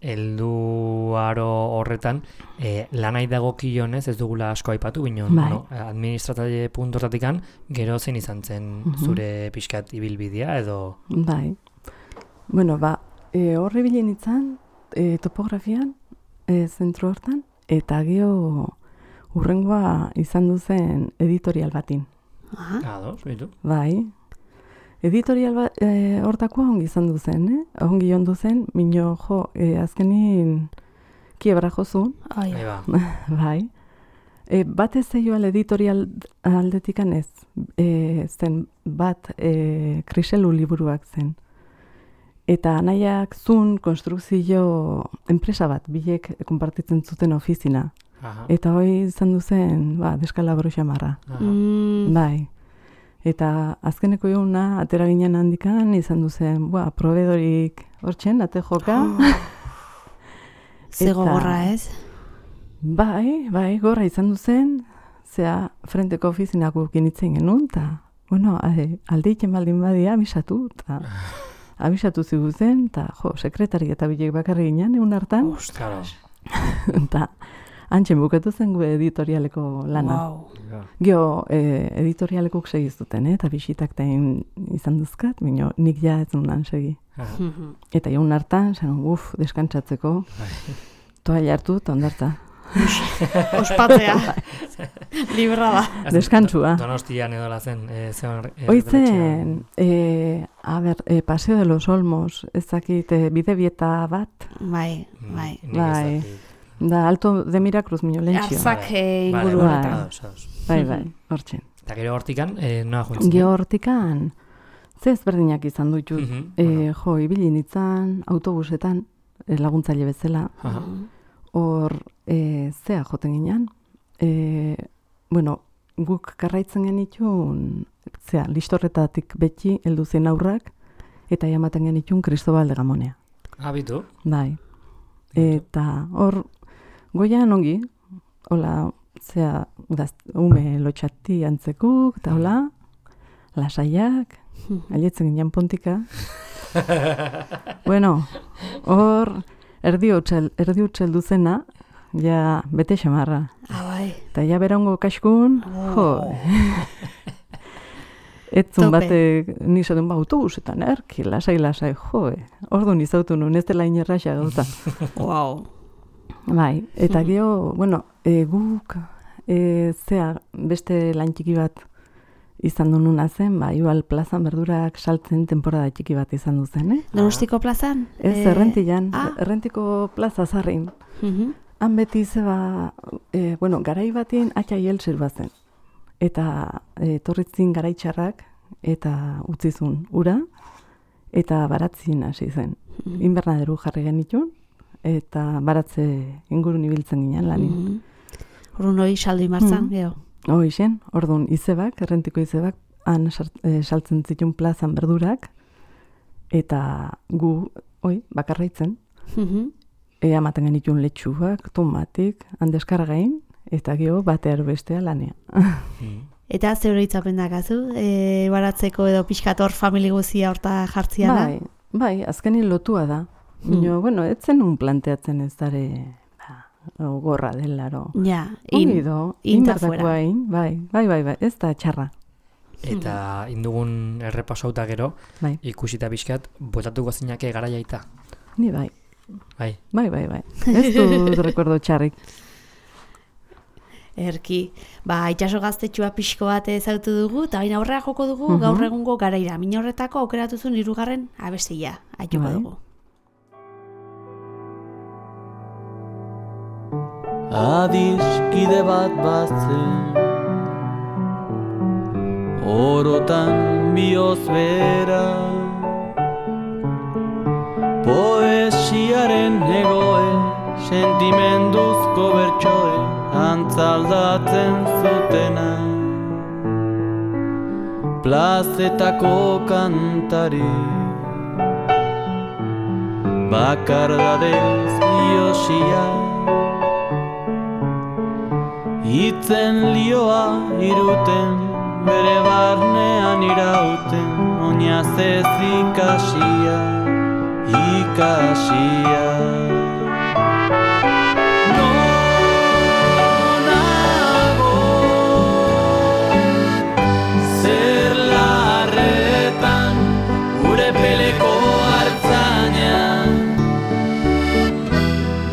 [SPEAKER 1] heldu aro horretan, e, lanai dagokionez ez dugula asko aipatu, bino,
[SPEAKER 3] Bai.
[SPEAKER 1] bueno, administratzaile puntu hortatikan, gero zein izan zen zure pixkat ibilbidea edo...
[SPEAKER 3] Bai. Bueno, ba, e, horre bilen itzan, e, topografian, e, zentru hortan, eta gero urrengoa izan duzen editorial batin.
[SPEAKER 2] Aha.
[SPEAKER 1] Ados, bitu.
[SPEAKER 3] Bai. Editorial ba, e, hortakoa ongi izan duzen, eh? Ongi ondu zen, mino jo, e, azkenin kiebra jozun,
[SPEAKER 2] Oi.
[SPEAKER 1] Ahí ba.
[SPEAKER 3] bai. E, bat ez zeioal editorial aldetikan ez, e, zen bat e, kriselu liburuak zen. Eta anaiak zun konstrukzio enpresa bat, bilek konpartitzen zuten ofizina.
[SPEAKER 1] Aha.
[SPEAKER 3] Eta hoi izan duzen, ba, deskalabro xamarra.
[SPEAKER 1] Aha.
[SPEAKER 2] Mm,
[SPEAKER 3] Bai. Eta azkeneko eguna, atera ginen handikan, izan duzen, ba, proveedorik hortxen, ate joka.
[SPEAKER 2] ze gogorra, ez?
[SPEAKER 3] Bai, bai, gorra izan duzen, zea frenteko ofizinak gukinitzen genuen, eta, bueno, ade, alde iken baldin badia, abisatu, eta abisatu ziguzen, eta, jo, sekretari eta bilek bakarri ginen, egun hartan,
[SPEAKER 1] Claro.
[SPEAKER 3] eta antxen bukatu zen gu editorialeko lana.
[SPEAKER 2] Wow.
[SPEAKER 3] Geo, e, editorialekuk segiztuten, eh? Eta bisitak tain izan duzkat, bino, nik ja ez nunan segi.
[SPEAKER 1] Aha.
[SPEAKER 2] Mhm.
[SPEAKER 3] Eta jaun hartan, zen, uf, deskantzatzeko, toalla hartu, eta ondarta.
[SPEAKER 2] Ospatzea. Libra da.
[SPEAKER 3] Deskantzua.
[SPEAKER 1] Donostian edo lazen. E,
[SPEAKER 3] Oitzen, e, a ber, e, Paseo de los Olmos, ez dakit, e, bide bieta bat,
[SPEAKER 2] Bai, bai.
[SPEAKER 3] Bai. da Alto de Miracruz, mino lentxio.
[SPEAKER 2] Arzak eh,
[SPEAKER 1] Vale,
[SPEAKER 2] inguru
[SPEAKER 3] vale,
[SPEAKER 2] horretan.
[SPEAKER 1] ados, ados.
[SPEAKER 3] Bai, bai, hortzen.
[SPEAKER 1] Eta gero hortikan, e, noa juntzen?
[SPEAKER 3] Geo hortikan, ze ezberdinak izan dutut.
[SPEAKER 1] Mhm,
[SPEAKER 3] E,
[SPEAKER 1] bueno.
[SPEAKER 3] jo, ibili nintzen, autobusetan, e, laguntzaile bezala,
[SPEAKER 1] Aha.
[SPEAKER 3] hor, e, zea joten ginen. E, bueno, guk karraitzen genitun zea, listorretatik beti heldu zen aurrak, eta jamaten genitun Cristobal de Gamonea.
[SPEAKER 1] Abitu.
[SPEAKER 3] Bai. Eta hor, goian ongi, hola, zea, gaz, ume lotxati antzekuk, eta hola, lasaiak, alietzen ginen pontika. Bueno, hor, erdi utxel, erdi utxel duzena, ja, bete xamarra.
[SPEAKER 2] Ah, bai.
[SPEAKER 3] Eta ja berango kaskun,
[SPEAKER 2] Oh.
[SPEAKER 3] jo. Etzun
[SPEAKER 2] Tope.
[SPEAKER 3] batek nizaten ba autobusetan, erki, lasai, lasai, jo. Orduan izautu nuen, ez dela inerraxa gauza.
[SPEAKER 2] Wow.
[SPEAKER 3] Bai, eta gero, bueno, e, guk, e, zea, beste lan txiki bat izan du nuna zen, ba, igual plazan berdurak saltzen temporada txiki bat izan du zen, eh?
[SPEAKER 2] Donostiko plazan?
[SPEAKER 3] Ez,
[SPEAKER 2] Eh,
[SPEAKER 3] errentilan,
[SPEAKER 2] ah.
[SPEAKER 3] errentiko plaza zarrin.
[SPEAKER 2] Mhm.
[SPEAKER 3] Han beti zeba, e, bueno, garai batien atxaiel zirbazen. Eta e, torritzin garaitxarrak eta utzizun ura, eta baratzin hasi zen.
[SPEAKER 2] Mhm.
[SPEAKER 3] Inbernaderu jarri genitun, eta baratze ingurun ibiltzen ginen lanin.
[SPEAKER 2] Mhm. Orduan hori saldu imartzan,
[SPEAKER 3] Mhm.
[SPEAKER 2] gero.
[SPEAKER 3] Hoi zen, orduan izebak, errentiko izebak, han sart- eh, saltzen zituen plazan berdurak, eta gu, oi, bakarraitzen,
[SPEAKER 2] Mhm.
[SPEAKER 3] ea ematen genituen letxuak, tomatik, handeskargain, eta gero batear bestea lanea.
[SPEAKER 2] Eta ze hori itzapen dakazu? E, baratzeko edo pixkator famili guzia horta jartziana?
[SPEAKER 3] Bai, bai, azkenin lotua da. Bino, bueno, etzen un planteatzen ez dare, ba, gorra delaro.
[SPEAKER 2] Ja, in,
[SPEAKER 3] Ongi do,
[SPEAKER 2] in ta
[SPEAKER 3] inbertakoa
[SPEAKER 2] fuera.
[SPEAKER 3] in, bai, bai, bai, bai, ez da txarra.
[SPEAKER 1] Eta indugun errepasauta gero,
[SPEAKER 3] Bai,
[SPEAKER 1] ikusita pixkat, botatuko zinake garaiaita.
[SPEAKER 3] ni bai,
[SPEAKER 1] Bai.
[SPEAKER 3] bai, bai, bai. Ez dut rekordo txarrik.
[SPEAKER 2] Erki, ba, itxaso gaztetxua pixko bat ezautu dugu, eta baina aurrera joko dugu,
[SPEAKER 3] Mhm.
[SPEAKER 2] gaur egungo garaira. Min horretako aukeratuzun hirugarren abestia, aituko
[SPEAKER 3] Bai.
[SPEAKER 2] dugu.
[SPEAKER 5] Adiskide bat batzen orotan bioz bera poesiaren egoe sentimenduzko bertsoe antzaldatzen zutena plazetako kantari bakardadez iosia Itzen lioa iruten, bere barnean irauten, oinazez ikasia, ikasia. Nonago, zer larretan, gure peleko hartzaina,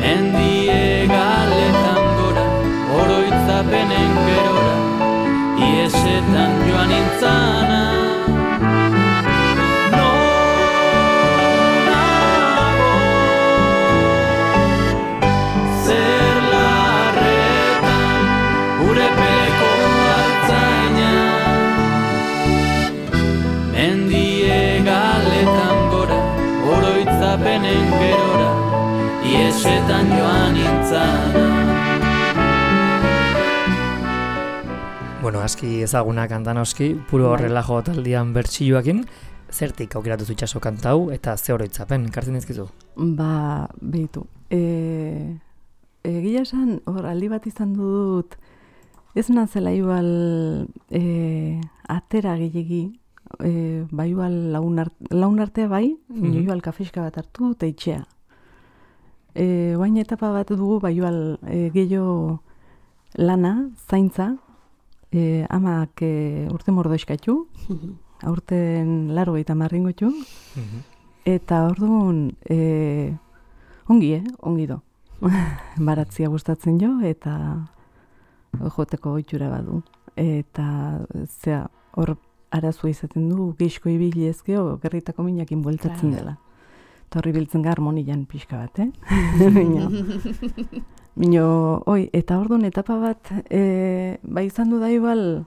[SPEAKER 5] mendie galetan gora, oroitzapenen gerora, iesetan joan nintzana. Nonago, zer larretan, gure peleko hartzaina, mendie galetan gora, oroitzapenen gerora, iesetan joan nintzana.
[SPEAKER 1] Bueno, aski ezaguna kanta noski, puro
[SPEAKER 3] Bai.
[SPEAKER 1] relajo taldian bertsioakin, zertik aukeratu zu itxaso kantau eta ze oroitzapen, kartzen dizkizu?
[SPEAKER 3] Ba, behitu. E, egia esan, hor, aldi bat izan dut, ez nazela igual e, atera gehiagi, e, ba igual laun, art, laun artea bai,
[SPEAKER 1] Mhm.
[SPEAKER 3] igual kafeska bat hartu eta itxea. E, Oain etapa bat dugu, ba igual e, gehiago lana, zaintza, e, amak e, urte mordoizkatu, aurten laro eta marringotu, eta orduan, e, ongi, eh? Ongi do. Baratzia gustatzen jo, eta joteko ohitura badu. Eta, zea, hor arazua izaten du, geixko ibili ezkeo, gerritako minakin bueltatzen
[SPEAKER 2] Claro.
[SPEAKER 3] dela. Eta horri biltzen ga harmonian pixka bat, eh? Mino, mino, oi, eta orduan etapa bat, e, ba izan du da igual,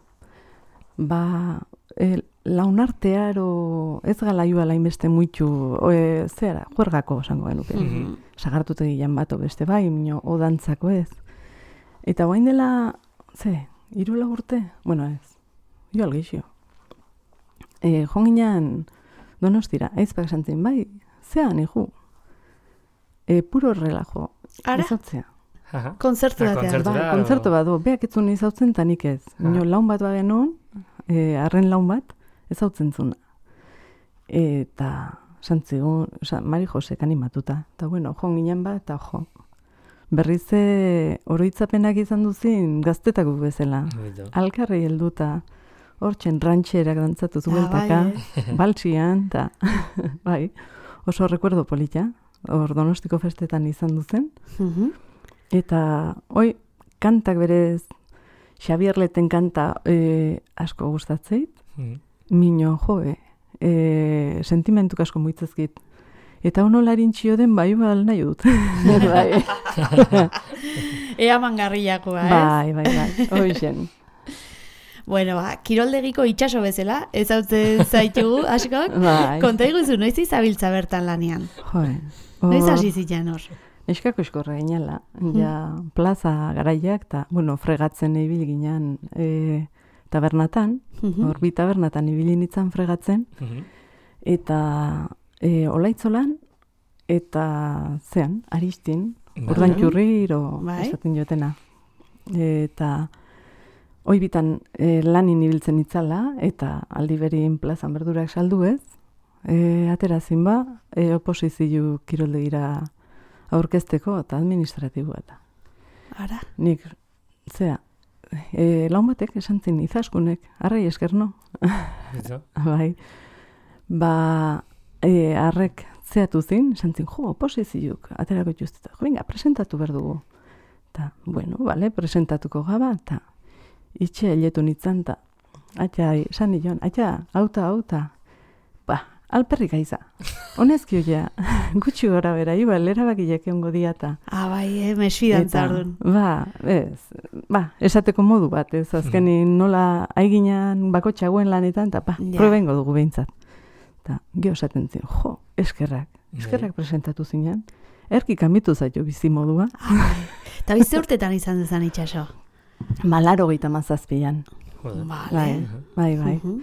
[SPEAKER 3] ba, e, launartearo, ez gala igual hainbeste muitu, e, zera, juergako esango genuke.
[SPEAKER 1] Mhm.
[SPEAKER 3] Sagartutegian bato beste bai, mino, odantzako ez. Eta guain dela, ze, hiru lau urte? Bueno ez, igual geixio. e, jonginan Donostira, aizpak esantzen, bai, zean, iju. E, puro relajo,
[SPEAKER 2] Ara?
[SPEAKER 3] izautzea.
[SPEAKER 1] Aha.
[SPEAKER 2] Konzertu
[SPEAKER 1] Ah,
[SPEAKER 2] batean.
[SPEAKER 1] kontzertu.
[SPEAKER 3] Ba,
[SPEAKER 1] Kontzertura,
[SPEAKER 3] kontzertu
[SPEAKER 1] o-
[SPEAKER 3] bat du, beak etzun izautzen eta nik ez. Nio, laun bat bagenon, e, arren laun bat, ezautzen zuna. Eta, santzigun, oza, Mari Josek animatuta. Eta, bueno, jo ginen bat, eta jo. Berriz e, oroitzapenak izan duzin gaztetako bezala.
[SPEAKER 1] Bonito.
[SPEAKER 3] Alkarri helduta, hortxen rantxerak dantzatu
[SPEAKER 2] Ah,
[SPEAKER 3] zueltaka,
[SPEAKER 2] bai,
[SPEAKER 3] baltsian, eta, bai, oso rekuerdo polita, hor Donostiko festetan izan duzen.
[SPEAKER 2] Mhm.
[SPEAKER 3] Eta, oi, kantak berez, Xabier Leten kanta e, asko gustatzeit,
[SPEAKER 1] Mhm.
[SPEAKER 3] mino, joe, e, sentimentuk asko muitzezkit. Eta ono larintxio den bai bal nahi dut. bai,
[SPEAKER 2] Ea mangarriakoa, ez?
[SPEAKER 3] bai, bai, bai, hoixen.
[SPEAKER 2] Bueno, ba, kiroldegiko itxaso bezala, ezautzen zaitugu, askok.
[SPEAKER 3] Bai,
[SPEAKER 2] Konta iguzu, noiz izabiltza bertan lanean?
[SPEAKER 3] joe.
[SPEAKER 2] Noiz
[SPEAKER 3] hor-
[SPEAKER 2] hasi zitzen hor?
[SPEAKER 3] Eskako eskorra ginala, ja plaza garaiak, eta, bueno, fregatzen ibili ginen e, tabernatan,
[SPEAKER 2] Mhm.
[SPEAKER 3] hor bi tabernatan ibili nintzen fregatzen,
[SPEAKER 1] Mhm.
[SPEAKER 3] eta e, olaitzolan, eta zean, aristin,
[SPEAKER 1] Bai.
[SPEAKER 3] urdainturriro
[SPEAKER 2] Bai.
[SPEAKER 3] esaten jotena. Eta hoi bitan e, lanin ibiltzen itzala, eta aldi berin plazan berdurak saldu ez, e, aterazin ba, e, oposizio kiroldegira aurkezteko eta administratiboa eta.
[SPEAKER 2] Ara.
[SPEAKER 3] Nik, zea, e, laun batek esan zin izaskunek, arrai esker no.
[SPEAKER 1] Bonito.
[SPEAKER 3] Bai, ba, e, arrek zeatu zin, esan zin, jo, oposiziuk, aterako justeta, jo, venga, presentatu behar dugu. Ta, bueno, vale, presentatuko gaba, eta itxe hiletu nintzen, eta, atxa, esan nion, atxa, auta, auta, ba, alperrik aiza. Honezki hoia, gutxi gora bera, ibal, erabakiak egongo diata.
[SPEAKER 2] Ah, bai, eh, mesfidantza orduan.
[SPEAKER 3] Ba, ez, ba, esateko modu bat, ez, azkenin nola aiginan bakotxagoen lanetan, eta ba,
[SPEAKER 2] Ja.
[SPEAKER 3] proba ingo dugu behintzat. Eta, geho esaten zin, jo, eskerrak, eskerrak presentatu zinen, erki kamitu zaitu bizi modua,
[SPEAKER 2] Eta bizte urtetan izan dezan itxaso.
[SPEAKER 3] malaro gehieta mazazpian,
[SPEAKER 1] Joder.
[SPEAKER 2] Vale.
[SPEAKER 3] bai, bai, bai.
[SPEAKER 2] Mhm.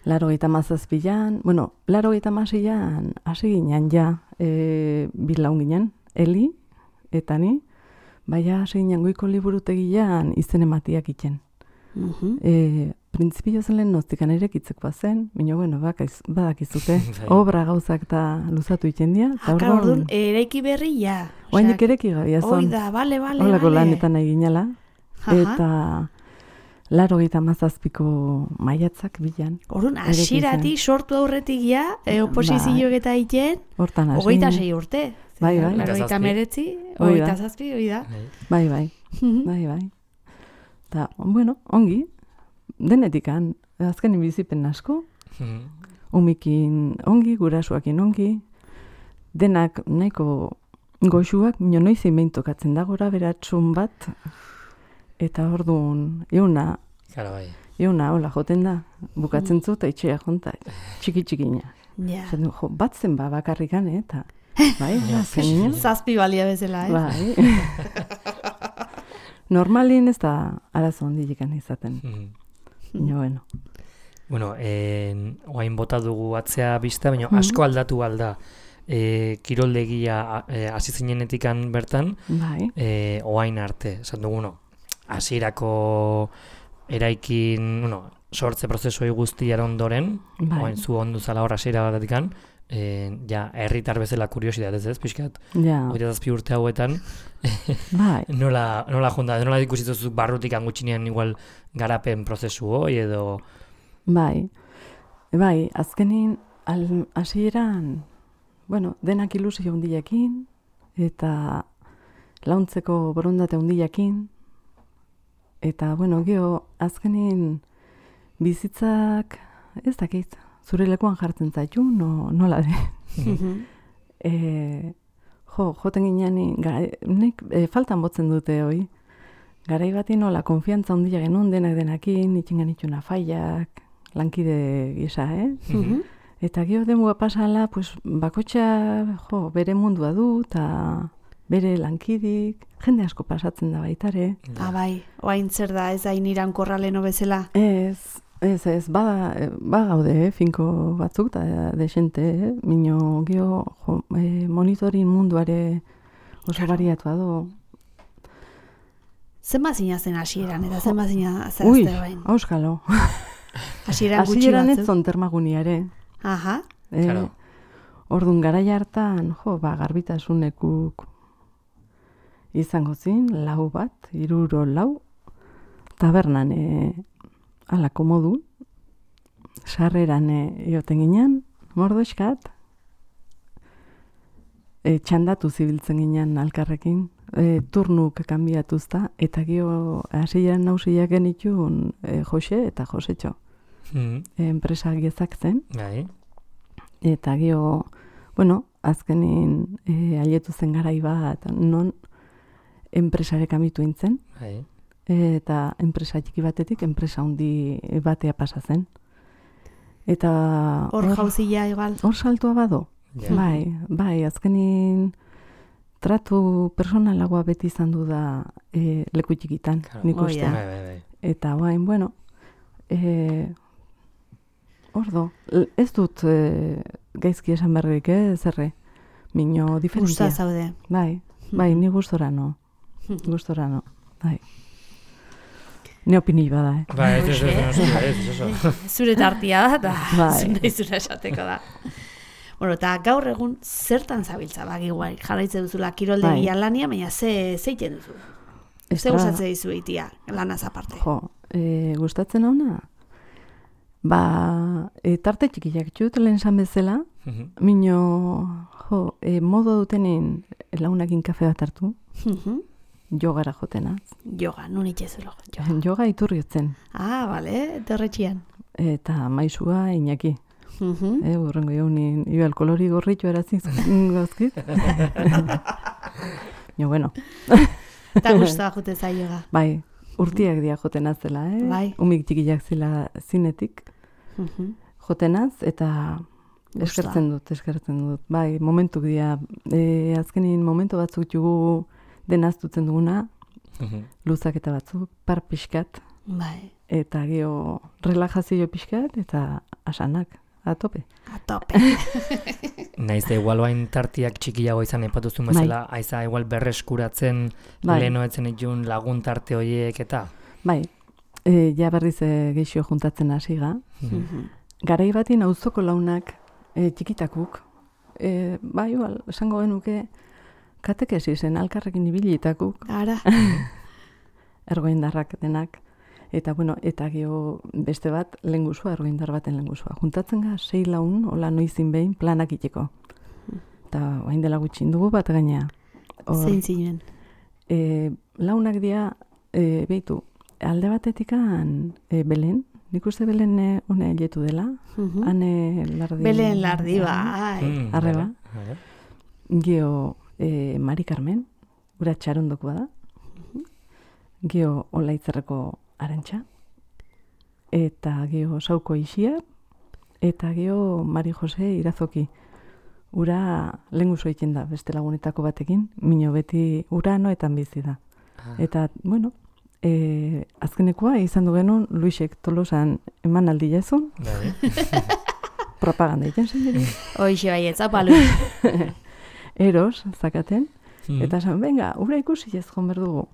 [SPEAKER 3] Laro gehieta mazazpian, bueno, laro gehieta mazian, hasi ginen ja, e, bilaun ginen, Eli, eta ni, baina hasi ginen goiko liburutegian izen ematiak iten.
[SPEAKER 2] Mhm.
[SPEAKER 3] E, Printzipio zen lehen noztikan erekitzekoa zen, baina, bueno, bakaiz, badakizute,
[SPEAKER 1] Bai.
[SPEAKER 3] obra gauzak eta luzatu iten dira, eta
[SPEAKER 2] Aka orduan,
[SPEAKER 3] orduan,
[SPEAKER 2] eraiki berri, ja.
[SPEAKER 3] oainik ereki gabia
[SPEAKER 2] Hoi
[SPEAKER 3] zon,
[SPEAKER 2] da, bale, bale,
[SPEAKER 3] holako
[SPEAKER 2] bale.
[SPEAKER 3] lanetan nahi ginela,
[SPEAKER 2] Aha.
[SPEAKER 3] eta laro gehieta mazazpiko maiatzak bilan,
[SPEAKER 2] Orduan,
[SPEAKER 3] Ereki zen.
[SPEAKER 2] hasieratik sortu aurretik ja, e, oposizioak eta iten,
[SPEAKER 3] hortan hasi
[SPEAKER 2] hogeita
[SPEAKER 3] ginen.
[SPEAKER 2] sei urte.
[SPEAKER 3] Bai, bai.
[SPEAKER 2] Hogeita
[SPEAKER 1] Zazpi.
[SPEAKER 2] meretzi,
[SPEAKER 3] Hoi da.
[SPEAKER 2] hogeita zazpi, hoi da.
[SPEAKER 3] Bai, bai, bai, bai. Eta, bueno, ongi, denetikan, azkenin bizipen asko,
[SPEAKER 1] Mhm.
[SPEAKER 3] umikin ongi, gurasuakin ongi, denak nahiko goxuak, mino noizein behin tokatzen da gora beratxun bat, eta orduan, euna,
[SPEAKER 1] Claro, bai.
[SPEAKER 3] euna, hola, joten da, bukatzen zu, eta itxea jonta, txiki-txikina.
[SPEAKER 2] Ja.
[SPEAKER 3] Zaten, jo, bat zen ba bakarrikan, eh, eta, bai, azkenean,
[SPEAKER 2] Zazpi balia bezala, eh?
[SPEAKER 3] bai. Normalin ez da arazo handilekan izaten.
[SPEAKER 1] Mhm.
[SPEAKER 3] Baina, bueno.
[SPEAKER 1] Bueno, en, oain bota dugu atzea bista, baina asko aldatu alda. E, kiroldegia e, hasi zinenetikan bertan,
[SPEAKER 3] Bai,
[SPEAKER 1] e, oain arte. Esan dugu, no, hasierako eraikin, bueno, sortze prozesoi guztiaren ondoren,
[SPEAKER 3] bai,
[SPEAKER 1] oain zu ondu zala hor hasiera batetikan, e, ja, herritar bezala kuriosidadez ez, pixkat,
[SPEAKER 3] ja,
[SPEAKER 1] hogeita zazpi urte hauetan,
[SPEAKER 3] bai,
[SPEAKER 1] nola, nola jonda, nola ikusitzu barrutik angutxinean igual garapen prozesu hoi edo...
[SPEAKER 3] bai, bai, azkenin, al, hasieran, bueno, denak ilusio hundiakin, eta launtzeko borondate hundiakin, eta, bueno, geho, azkenin bizitzak, ez dakit, zure lekuan jartzen zaitu, no, nola den.
[SPEAKER 2] Mhm.
[SPEAKER 3] E, jo, joten ginean, gara, nik e, faltan botzen dute hoi. Garai bati nola, konfiantza handia genuen denak denakin, itxingan itxuna faiak, lankide gisa, eh?
[SPEAKER 2] Mhm.
[SPEAKER 3] Eta gero demua pasala, pues, bakotxa, jo, bere mundua du, eta bere lankidik, jende asko pasatzen da baitare.
[SPEAKER 2] Ah, bai, oain zer da, ez hain irankorra leno bezala.
[SPEAKER 3] Ez, Ez, ez, ba, ba gaude, eh, finko batzuk, da desente, eh? Mino, gio, jo, eh, monitorin munduare oso
[SPEAKER 2] Claro.
[SPEAKER 3] bariatua do.
[SPEAKER 2] Zenba zina zen hasieran, eta zenba zina
[SPEAKER 3] Ui,
[SPEAKER 2] zehazte bain.
[SPEAKER 3] auskalo.
[SPEAKER 2] Hasieran gutxi
[SPEAKER 3] Hasieran ez
[SPEAKER 2] batzuk.
[SPEAKER 3] zon termaguniare.
[SPEAKER 2] Aha,
[SPEAKER 3] Eh,
[SPEAKER 1] Claro.
[SPEAKER 3] Orduan garaia hartan, jo, ba, garbitasunekuk izango zin, lau bat, hiruro lau, tabernan, e, ala, komodu, sarreran e, ioten ginen, mordoxkat, e, txandatu zibiltzen ginen alkarrekin, e, turnuk kanbiatuzta, eta gio hasieran nausiak genitun e, Jose eta Josetxo,
[SPEAKER 1] Mm.
[SPEAKER 3] e, enpresa gezak zen,
[SPEAKER 1] Bai.
[SPEAKER 3] eta gio, bueno, azkenin e, aietu zen garai bat, non enpresarek amitu intzen,
[SPEAKER 1] Bai.
[SPEAKER 3] eta enpresa txiki batetik enpresa handi batea pasa zen. Eta
[SPEAKER 2] hor jauzia igual.
[SPEAKER 3] hor saltua bado.
[SPEAKER 1] Ja.
[SPEAKER 3] Bai, bai, azkenin tratu personalagoa beti izan du da e, leku txikitan,
[SPEAKER 1] Claro.
[SPEAKER 3] nik
[SPEAKER 2] Hoi
[SPEAKER 3] uste.
[SPEAKER 2] da.
[SPEAKER 1] Bai, bai, bai.
[SPEAKER 3] Eta bain, bueno, e, ordo, l- ez dut e, gaizki esan berrik, eh, zerre, mino
[SPEAKER 2] Gusta
[SPEAKER 3] diferentzia.
[SPEAKER 2] zaude.
[SPEAKER 3] Bai, bai, ni gustora no, gustora no, bai. Ne opinio bada, eh.
[SPEAKER 1] Bai, ez, ez,
[SPEAKER 2] Hoxe.
[SPEAKER 1] ez, ez, ez, ez, ez.
[SPEAKER 2] Zure tartia da, eta
[SPEAKER 3] Bai.
[SPEAKER 2] zure izura esateko da. Bueno, eta gaur egun zertan zabiltza, bagi guai, jarraitze duzula kiroldegia
[SPEAKER 3] Bai.
[SPEAKER 2] lania, baina ze zeiten duzu? Ze
[SPEAKER 3] Estra-
[SPEAKER 2] gustatzen dizu itia, lanaz aparte?
[SPEAKER 3] Jo, e, gustatzen hauna? Ba, e, tarte txikiak txut lehen esan bezala,
[SPEAKER 1] Mhm.
[SPEAKER 3] mino, jo, e, modo dutenin launakin kafe bat hartu,
[SPEAKER 2] Mhm.
[SPEAKER 3] jogara jotenaz.
[SPEAKER 2] Yoga, nun itxezulo. Yoga.
[SPEAKER 3] Joga iturriotzen,
[SPEAKER 2] Ah, bale, terretxian.
[SPEAKER 3] eta maizua Iñaki.
[SPEAKER 2] Mhm.
[SPEAKER 3] E, urrengo jaunin, ibal kolori gorritu erazik gozkit. Jo, bueno,
[SPEAKER 2] Eta guztua jute zai yoga.
[SPEAKER 3] bai, urtiak dia jotenaz zela, eh?
[SPEAKER 2] Bai.
[SPEAKER 3] Umik txikiak zela zinetik.
[SPEAKER 2] Mhm.
[SPEAKER 3] Jotenaz, eta
[SPEAKER 2] Gusta.
[SPEAKER 3] eskertzen dut, eskertzen dut. Bai, momentuk dira, e, azkenin momentu batzuk jugu denaztutzen duguna,
[SPEAKER 1] Mhm.
[SPEAKER 3] luzaketa batzuk, par pixkat,
[SPEAKER 2] Bai,
[SPEAKER 3] eta gero relajazio pixkat, eta asanak, atope.
[SPEAKER 2] a tope.
[SPEAKER 1] Naiz da igual bain tartiak txikiago izan epatuzun bezala, aiza igual berreskuratzen
[SPEAKER 3] Bai.
[SPEAKER 1] lehenoetzen itun lagun tarte horiek eta.
[SPEAKER 3] Bai, e, ja berriz e, geixo juntatzen hasiga.
[SPEAKER 2] Mhm.
[SPEAKER 3] Garai batin auzoko launak e, txikitakuk, e, bai, igual, esango genuke, katekesisen alkarrekin ibilitakuk,
[SPEAKER 2] Ara,
[SPEAKER 3] ergoindarrak denak, eta bueno, eta gero beste bat lengusua, ergoindar baten lengusua. Juntatzen ga, sei laun, hola noizin behin, planak iteko. Eta hain dela gutxin dugu bat gaina. Hor,
[SPEAKER 2] zein zinen.
[SPEAKER 3] e, launak dia, e, behitu, alde batetikan e, Belen, nik uste Belen e, une hiletu dela,
[SPEAKER 2] Mhm.
[SPEAKER 3] hane lardi.
[SPEAKER 2] Belen lardi, bai.
[SPEAKER 1] Mm,
[SPEAKER 3] Arreba.
[SPEAKER 1] bai, bai.
[SPEAKER 3] Geo e, Mari Carmen, ura txarondoko da. Geo Olaitzerreko Arantxa. Eta geo Sauko Ixia. Eta geo Mari Jose Irazoki. Ura lenguzo egiten da beste lagunetako batekin. Mino beti ura noetan bizi da.
[SPEAKER 1] Ah.
[SPEAKER 3] Eta, bueno, e, azkenekoa izan du genuen Luisek Tolosan eman aldi jazun.
[SPEAKER 1] Bai.
[SPEAKER 3] Propaganda egiten zen.
[SPEAKER 2] Hoixe bai, ez apalu.
[SPEAKER 3] Eros, zakaten.
[SPEAKER 1] Mm.
[SPEAKER 3] Eta esan, venga, ura ikusi ez joan behar dugu.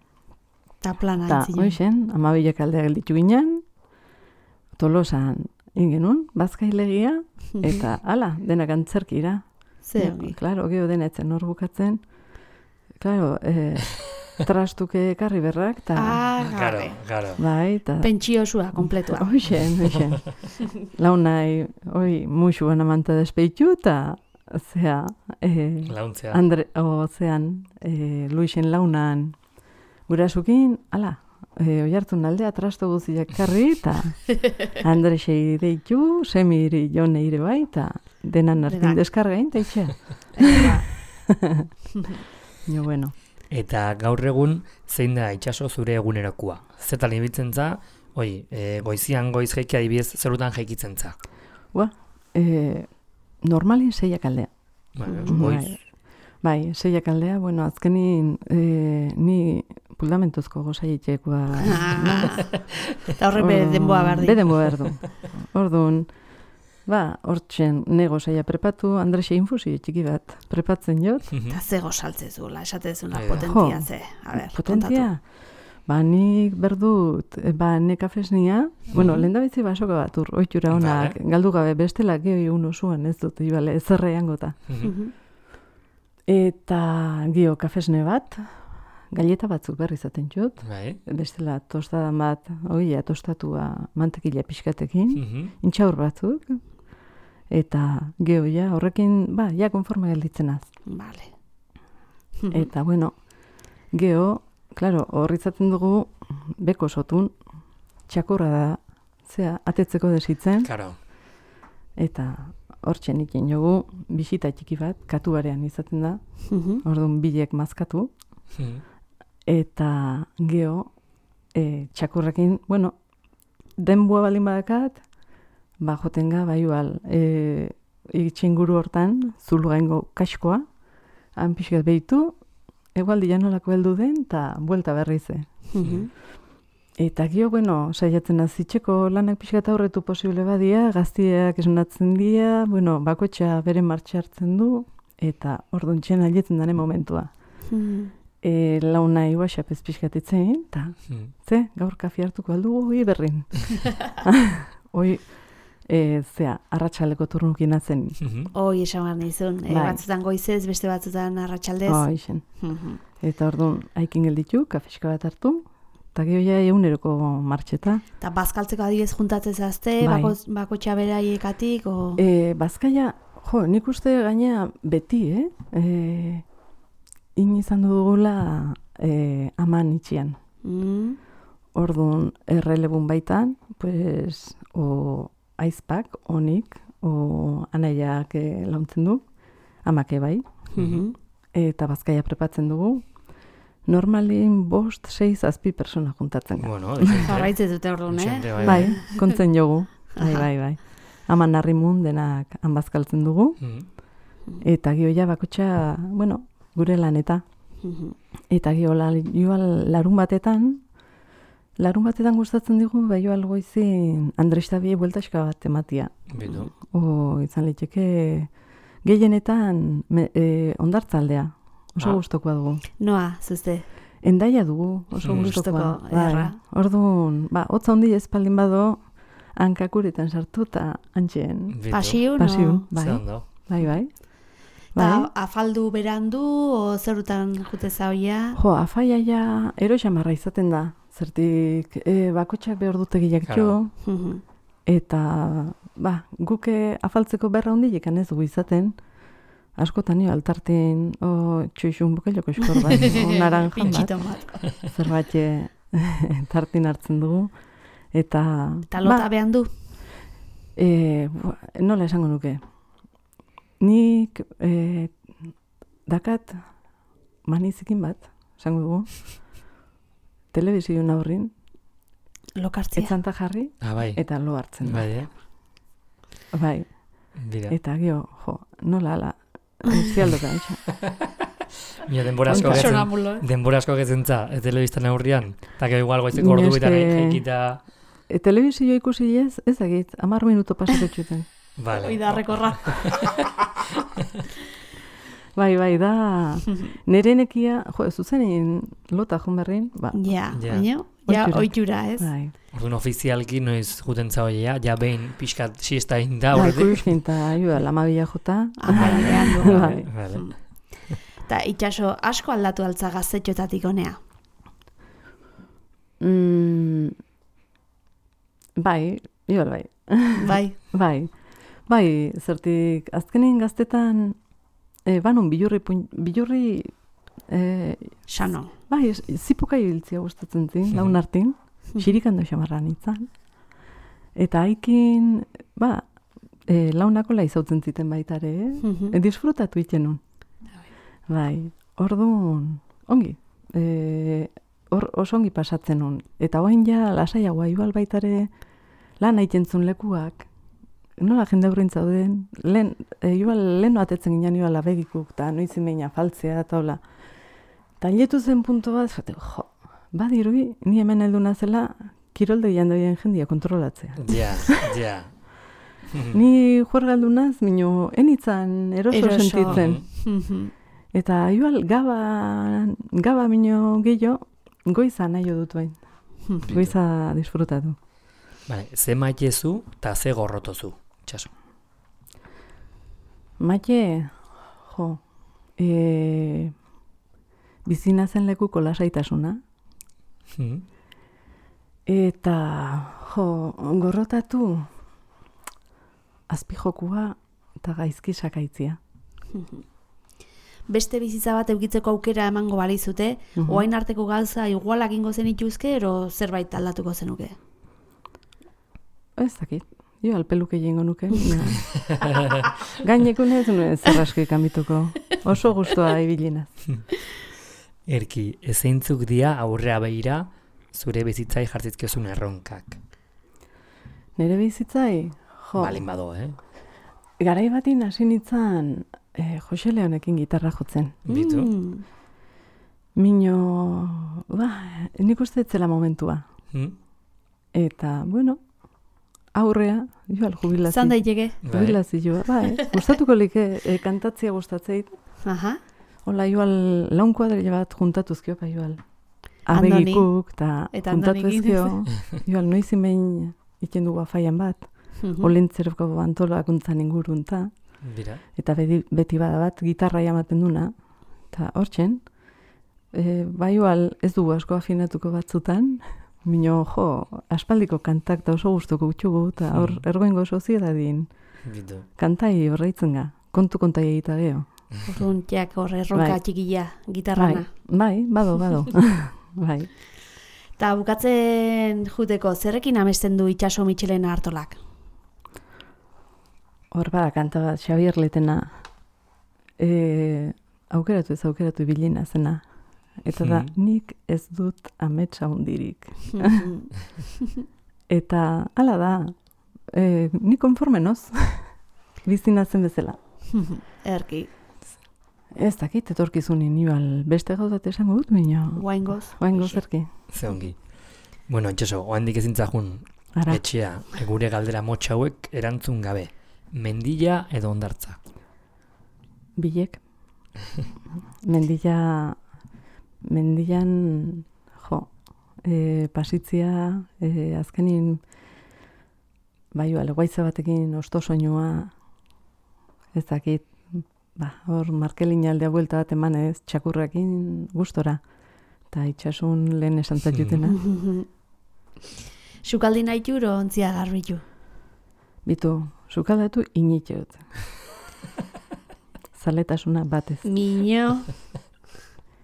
[SPEAKER 2] Ta plana
[SPEAKER 3] Eta,
[SPEAKER 2] entzinen.
[SPEAKER 3] hoixen, amabilak aldea gelditu ginen, Tolosan ingenun, bazkailegia, eta ala, denak antzerkira.
[SPEAKER 2] Ze ongi.
[SPEAKER 3] Claro, geho denetzen hor bukatzen. Claro, eh, trastuke ekarri berrak, eta...
[SPEAKER 2] Ah,
[SPEAKER 1] Claro,
[SPEAKER 2] garre.
[SPEAKER 1] claro.
[SPEAKER 3] Bai, eta...
[SPEAKER 2] Pentsiosua, kompletua.
[SPEAKER 3] Hoixen, hoixen. Launai, oi, musuan amanta despeitu, eta... Zea, eh,
[SPEAKER 1] Launtzea.
[SPEAKER 3] Andre, o, zean, eh, Luisen launan gurasukin, ala, eh, oiartzun aldea trasto guziak karri, eta Andresei deitu, semiri jone ire bai, eta denan hartin
[SPEAKER 2] Denak.
[SPEAKER 3] deskargain, eta itxea.
[SPEAKER 2] Eba.
[SPEAKER 3] Jo, bueno.
[SPEAKER 1] Eta gaur egun zein da itxaso zure egunerokoa? Zetan ibiltzen za, oi, e, goizian goiz jaiki adibidez zerutan jaikitzen za.
[SPEAKER 3] Ua, eh, normalin seiak aldea.
[SPEAKER 1] Bueno,
[SPEAKER 2] Mhm.
[SPEAKER 1] goiz.
[SPEAKER 3] Bai, seiak aldea, bueno, azkenin eh, ni fundamentuzko gozaitekoa.
[SPEAKER 2] Eta horre be denboa behar di.
[SPEAKER 3] Be denboa behar du. Orduan, ba, hortzen nego zaila prepatu, Andrese infusio txiki bat prepatzen jot.
[SPEAKER 2] Eta ze gozaltzezula, esatezuna
[SPEAKER 1] Ai,
[SPEAKER 2] potentia
[SPEAKER 3] jo,
[SPEAKER 2] ze. A ber,
[SPEAKER 3] Potentia? Ba, nik berdut, ba, ne kafesnia, bueno, lehen da bitzi basoka bat ur, oitura honak,
[SPEAKER 1] Vale.
[SPEAKER 3] galdu gabe, bestela gehi uno zuan ez dut, ibale, ezerre gota.
[SPEAKER 2] kontatu.
[SPEAKER 3] Eta gio kafesne bat, galleta batzuk berri izaten jut,
[SPEAKER 1] Bai.
[SPEAKER 3] bestela tostadan bat, oia, tostatua mantekila pixkatekin,
[SPEAKER 1] Mhm.
[SPEAKER 3] intxaur batzuk, eta geo ja, horrekin, ba, ja, konforme gelditzen az.
[SPEAKER 2] Vale.
[SPEAKER 3] Eta, bueno, geo, klaro, hor izaten dugu, beko sotun, txakurra da, zea, atetzeko desitzen,
[SPEAKER 1] Karo.
[SPEAKER 3] eta hortxe ikin jogu, bisita txiki bat, katuarean izaten da,
[SPEAKER 2] Mhm.
[SPEAKER 3] orduan bilek mazkatu,
[SPEAKER 1] Mhm.
[SPEAKER 3] eta geo, e, txakurrekin, bueno, denboa balin badakat, ba, jotenga, bai igual, e, itxinguru hortan, zulu gaingo kaskoa, han pixkat behitu, egualdi janolako heldu den, eta buelta berrize.
[SPEAKER 2] Mhm.
[SPEAKER 3] Eta gio, bueno, saiatzen azitxeko lanak pixkat aurretu posible badia, gaztiak esnatzen dira, bueno, bakotxa bere martxa hartzen du, eta orduan txen alietzen dane momentua.
[SPEAKER 2] Mhm.
[SPEAKER 3] E, launa iguaxap ez pixkat itzein, eta
[SPEAKER 1] Mhm.
[SPEAKER 3] ze, gaur kafi hartuko aldu, oi berrin. Oi, e, zea, arratsaleko turnukin atzen.
[SPEAKER 1] Mhm.
[SPEAKER 2] Hoi esan behar nizun, e,
[SPEAKER 3] Bai.
[SPEAKER 2] batzutan goizez, beste batzutan arratsaldez.
[SPEAKER 3] Oh, ixen.
[SPEAKER 2] Mhm.
[SPEAKER 3] Eta orduan, haikin gelditu, kafeska bat hartu, eta gero ja eguneroko martxeta.
[SPEAKER 2] Eta bazkaltzeko adibidez juntatzen zazte,
[SPEAKER 3] Bai.
[SPEAKER 2] bako, bako txaberaiekatik, o...
[SPEAKER 3] E, Bazkaia, jo, nik uste gaina beti, eh? E, in izan dugula e, aman itxian.
[SPEAKER 2] Mm.
[SPEAKER 3] Orduan, errelebun baitan, pues, o aizpak, onik, o anaiak e, launtzen du, amake bai,
[SPEAKER 2] Mhm.
[SPEAKER 3] eta Bazkaia prepatzen dugu. Normalin bost, sei, zazpi persona juntatzen gara.
[SPEAKER 1] Bueno, dixente.
[SPEAKER 2] Jarraitzen dute orduan, eh?
[SPEAKER 1] Dixente, bai,
[SPEAKER 3] Bai, kontzen jogu. Bai,
[SPEAKER 2] Aha.
[SPEAKER 3] bai, bai. Aman harrimun denak hanbazkaltzen dugu.
[SPEAKER 1] Mhm.
[SPEAKER 3] Eta gio bakotxa, bueno, gure laneta.
[SPEAKER 2] Mhm.
[SPEAKER 3] Eta gio la, joal larun batetan, larun batetan gustatzen digu, bai joal goizin Andres Tabie bueltaxka bat ematia.
[SPEAKER 1] Bitu.
[SPEAKER 3] O, izan liteke, gehienetan me, e, ondartzaldea. Oso
[SPEAKER 1] Ah.
[SPEAKER 3] gustokoa dugu.
[SPEAKER 2] Noa, zuzte.
[SPEAKER 3] Endaia dugu, oso
[SPEAKER 1] Mm.
[SPEAKER 3] gustokoa.
[SPEAKER 2] Gustoko, ederra.
[SPEAKER 3] Orduan, ba, hotza handi espaldin bado, hankakuretan sartu eta antxeen.
[SPEAKER 1] Bitu.
[SPEAKER 2] Pasiun,
[SPEAKER 3] Pasiun,
[SPEAKER 2] o...
[SPEAKER 1] Ze
[SPEAKER 3] bai,
[SPEAKER 1] ondo.
[SPEAKER 3] bai, bai.
[SPEAKER 2] Ta,
[SPEAKER 3] Bai.
[SPEAKER 2] afaldu berandu, o zerutan jute zaoia?
[SPEAKER 3] Jo, afaia ja ero xamarra izaten da. Zertik, e, bakotxak behar dutegiak
[SPEAKER 1] Claro.
[SPEAKER 3] jo,
[SPEAKER 2] Mhm.
[SPEAKER 3] eta, ba, guke afaltzeko berra hondiek ez dugu izaten, askotan nio altartin, o, txoixun bukeloko eskor bat, o, naranjan bat,
[SPEAKER 2] Pintxito bat.
[SPEAKER 3] zerbait e, tartin hartzen dugu, eta...
[SPEAKER 2] Eta lota
[SPEAKER 3] ba,
[SPEAKER 2] behan du?
[SPEAKER 3] e, bua, nola esango nuke, nik e, dakat manizikin bat, esango dugu, telebizioen aurrin,
[SPEAKER 2] Lokartzia.
[SPEAKER 3] etzanta jarri,
[SPEAKER 1] Ah, bai.
[SPEAKER 3] eta lo hartzen da.
[SPEAKER 1] Bai, eh?
[SPEAKER 3] Bai,
[SPEAKER 1] Bira.
[SPEAKER 3] eta gio, jo, nola ala, zialdoka, etxa.
[SPEAKER 1] Mira, denbora asko
[SPEAKER 3] Konta.
[SPEAKER 1] getzen,
[SPEAKER 2] Sonamulo.
[SPEAKER 1] denbora asko getzen za, e, telebistan aurrian, eta gero igual goizeko ordu
[SPEAKER 3] Ni
[SPEAKER 1] bitan
[SPEAKER 3] eske-
[SPEAKER 1] ekita...
[SPEAKER 3] E, telebizio ikusi ez, ez dakit, amar minuto pasako txuten.
[SPEAKER 1] Vale.
[SPEAKER 2] Hoi da rekorra.
[SPEAKER 3] Bai, bai, da, nire nekia, jo, zuzenin lota joan berrin, ba,
[SPEAKER 2] Ja,
[SPEAKER 1] Ja.
[SPEAKER 2] baina, ja,
[SPEAKER 3] Ohitura.
[SPEAKER 2] oitura, ez?
[SPEAKER 3] bai.
[SPEAKER 1] Orduan ofizialki noiz juten zaoia, ja behin pixkat siesta inda
[SPEAKER 3] Bai,
[SPEAKER 1] horretik.
[SPEAKER 3] kuiskin eta, joa, lamabila jota.
[SPEAKER 2] Amara behan du.
[SPEAKER 3] Bai.
[SPEAKER 1] Vale.
[SPEAKER 2] Eta itxaso asko aldatu altza gaztetxotatik honea.
[SPEAKER 3] Mm, bai, igual bai.
[SPEAKER 2] Bai.
[SPEAKER 3] Bai, bai, zertik, azkenin gaztetan, e, banun bilurri, pun- bilurri, e,
[SPEAKER 2] Sano.
[SPEAKER 3] bai, es- zipoka ibiltzia gustatzen zin, laun hartin, xirikando xamarran itzan. Eta haikin, ba, e, launako la izautzen ziten baitare, eh?
[SPEAKER 2] Mhm.
[SPEAKER 3] E, disfrutatu iten Bai, orduan, ongi, e, hor oso ongi pasatzen nun. Eta oain ja, lasaiagoa, igual baitare lan aitentzun lekuak, nola jende aurrin zauden, lehen, e, igual lehen atetzen ginen igual abegikuk, eta noiz imeina faltzea, eta hola. Eta hiletu zen puntu bat, zate, jo, badirui, ni hemen heldu nazela, kiroldegian doien jendia kontrolatzea.
[SPEAKER 1] Ja, ja.
[SPEAKER 3] Ni juergaldunaz, mino, enitzan eroso,
[SPEAKER 2] Eroso.
[SPEAKER 3] sentitzen.
[SPEAKER 2] Mhm.
[SPEAKER 3] Eta igual gaba, gaba mino gehiago, goiza nahi dut bain. Goiza disfrutatu.
[SPEAKER 1] Vale, ze maitezu eta ze gorrotozu, itxaso.
[SPEAKER 3] Maite, jo, e, bizina zen lekuko lasaitasuna.
[SPEAKER 1] Mhm.
[SPEAKER 3] Eta, jo, gorrotatu azpijokua eta gaizki sakaitzia.
[SPEAKER 2] Beste bizitza bat eukitzeko aukera emango balizute,
[SPEAKER 3] Mhm.
[SPEAKER 2] oain arteko gauza igualak ingo zenituzke, ero zerbait aldatuko zenuke?
[SPEAKER 3] Ez dakit, jo alpeluke jengo nuke. Gainekun ez nuen zerraski kamituko. Oso guztua ibilinaz.
[SPEAKER 1] Erki, ezeintzuk dia aurrea behira zure bizitzai jartzizkezun erronkak.
[SPEAKER 3] Nere bizitzai, jo,
[SPEAKER 1] Balin bado, eh?
[SPEAKER 3] garai batin hasi nintzen eh, Jose Leonekin gitarra jotzen.
[SPEAKER 1] Bitu.
[SPEAKER 2] Mm.
[SPEAKER 3] Mino, ba, nik uste ez zela momentua.
[SPEAKER 1] Hmm?
[SPEAKER 3] Eta, bueno, aurrea, joal jubilazio.
[SPEAKER 2] Zan daiteke?
[SPEAKER 1] Bai.
[SPEAKER 3] Jubilazioa, bai. Gustatuko like e, kantatzia gustatzeit.
[SPEAKER 2] Aha.
[SPEAKER 3] Hola, joal laun kuadrilla bat juntatuzkio, pa joal.
[SPEAKER 2] Andoni.
[SPEAKER 3] Abegikuk, eta
[SPEAKER 2] Eta
[SPEAKER 3] juntatu
[SPEAKER 2] Andonikin.
[SPEAKER 3] ezkio. Joal, noizin behin iken dugu afaian bat.
[SPEAKER 2] Mhm.
[SPEAKER 3] Olentzeroko antolakuntzan ingurun, ta.
[SPEAKER 1] Dira.
[SPEAKER 3] Eta beti, beti bada bat, gitarra jamaten duna. Eta hortzen, e, bai igual ez dugu asko afinatuko batzutan, mino, jo, aspaldiko kantak da oso gustuko gutxugu, eta hor,
[SPEAKER 1] Hmm.
[SPEAKER 3] ergoingo soziedadin,
[SPEAKER 1] Bitu.
[SPEAKER 3] kantai horreitzen ga, kontu kontai egita geho.
[SPEAKER 2] Orduan, jak hor erronka
[SPEAKER 3] Bai.
[SPEAKER 2] txikila, gitarrana.
[SPEAKER 3] Bai, bai, bado, bado. Bai.
[SPEAKER 2] Eta bukatzen juteko, zerrekin amesten du Itxaso Mitxelena Artolak?
[SPEAKER 3] Hor bada kanta bat, Xabier Letena, e, aukeratu ez aukeratu ibilina zena. Eta da,
[SPEAKER 1] Hmm.
[SPEAKER 3] nik ez dut ametsa hundirik.
[SPEAKER 2] Mhm.
[SPEAKER 3] Eta, hala da, e, ni konforme noz, bizina zen bezala.
[SPEAKER 2] Erki,
[SPEAKER 3] Ez dakit, etorkizunin, igual, beste gauzat esango dut, baina,
[SPEAKER 2] guaingoz.
[SPEAKER 3] oaingo zerki.
[SPEAKER 1] Ze ongi. Bueno, itxaso, oandik ezintzajun
[SPEAKER 3] Ara,
[SPEAKER 1] etxea, gure galdera motxa hauek erantzun gabe. Mendilla edo ondartza.
[SPEAKER 3] bilek. Mendilla, mendian, jo, e, pasitzia, e, azkenin, bai, igual, guaitza batekin osto soinua, ez dakit, ba, hor, markelin aldea buelta bat emanez, txakurrakin gustora, eta itxasun lehen esan zatutena.
[SPEAKER 2] Sukaldi nahi juro, ontzia garbitu.
[SPEAKER 3] Bitu, sukaldatu initxeut. Zaletasuna batez.
[SPEAKER 2] Miño.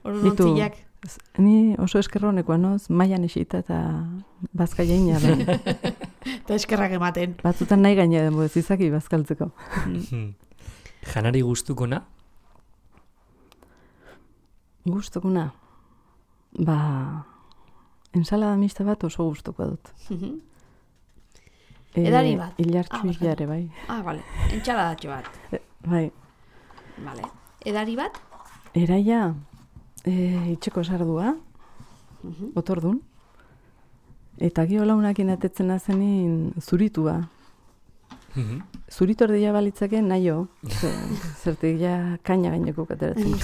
[SPEAKER 2] Orduan
[SPEAKER 3] Bitu.
[SPEAKER 2] ontziak.
[SPEAKER 3] Z- Ni oso eskerronekoa noz, mailan esita eta bazka jaina da.
[SPEAKER 2] Eta eskerrak ematen.
[SPEAKER 3] Batzutan nahi gaina den ez izaki bazkaltzeko.
[SPEAKER 1] Hmm. Janari gustukona?
[SPEAKER 3] Gustukuna. Ba, ensalada mixta bat oso gustuko dut. E,
[SPEAKER 2] Edari bat? Ah,
[SPEAKER 3] Ilartxu
[SPEAKER 2] barkatu.
[SPEAKER 3] hilare, bai.
[SPEAKER 2] Ah, bale. Entxaladatxo bat.
[SPEAKER 3] Bai.
[SPEAKER 2] Bale. Edari bat?
[SPEAKER 3] Eraia, e, itxeko sardua, otordun. Eta gio launakin atetzen azenin zuritua.
[SPEAKER 1] Mhm.
[SPEAKER 3] Zuritu erdia balitzake naio. Zertik ja kaina gaineko kateratzen.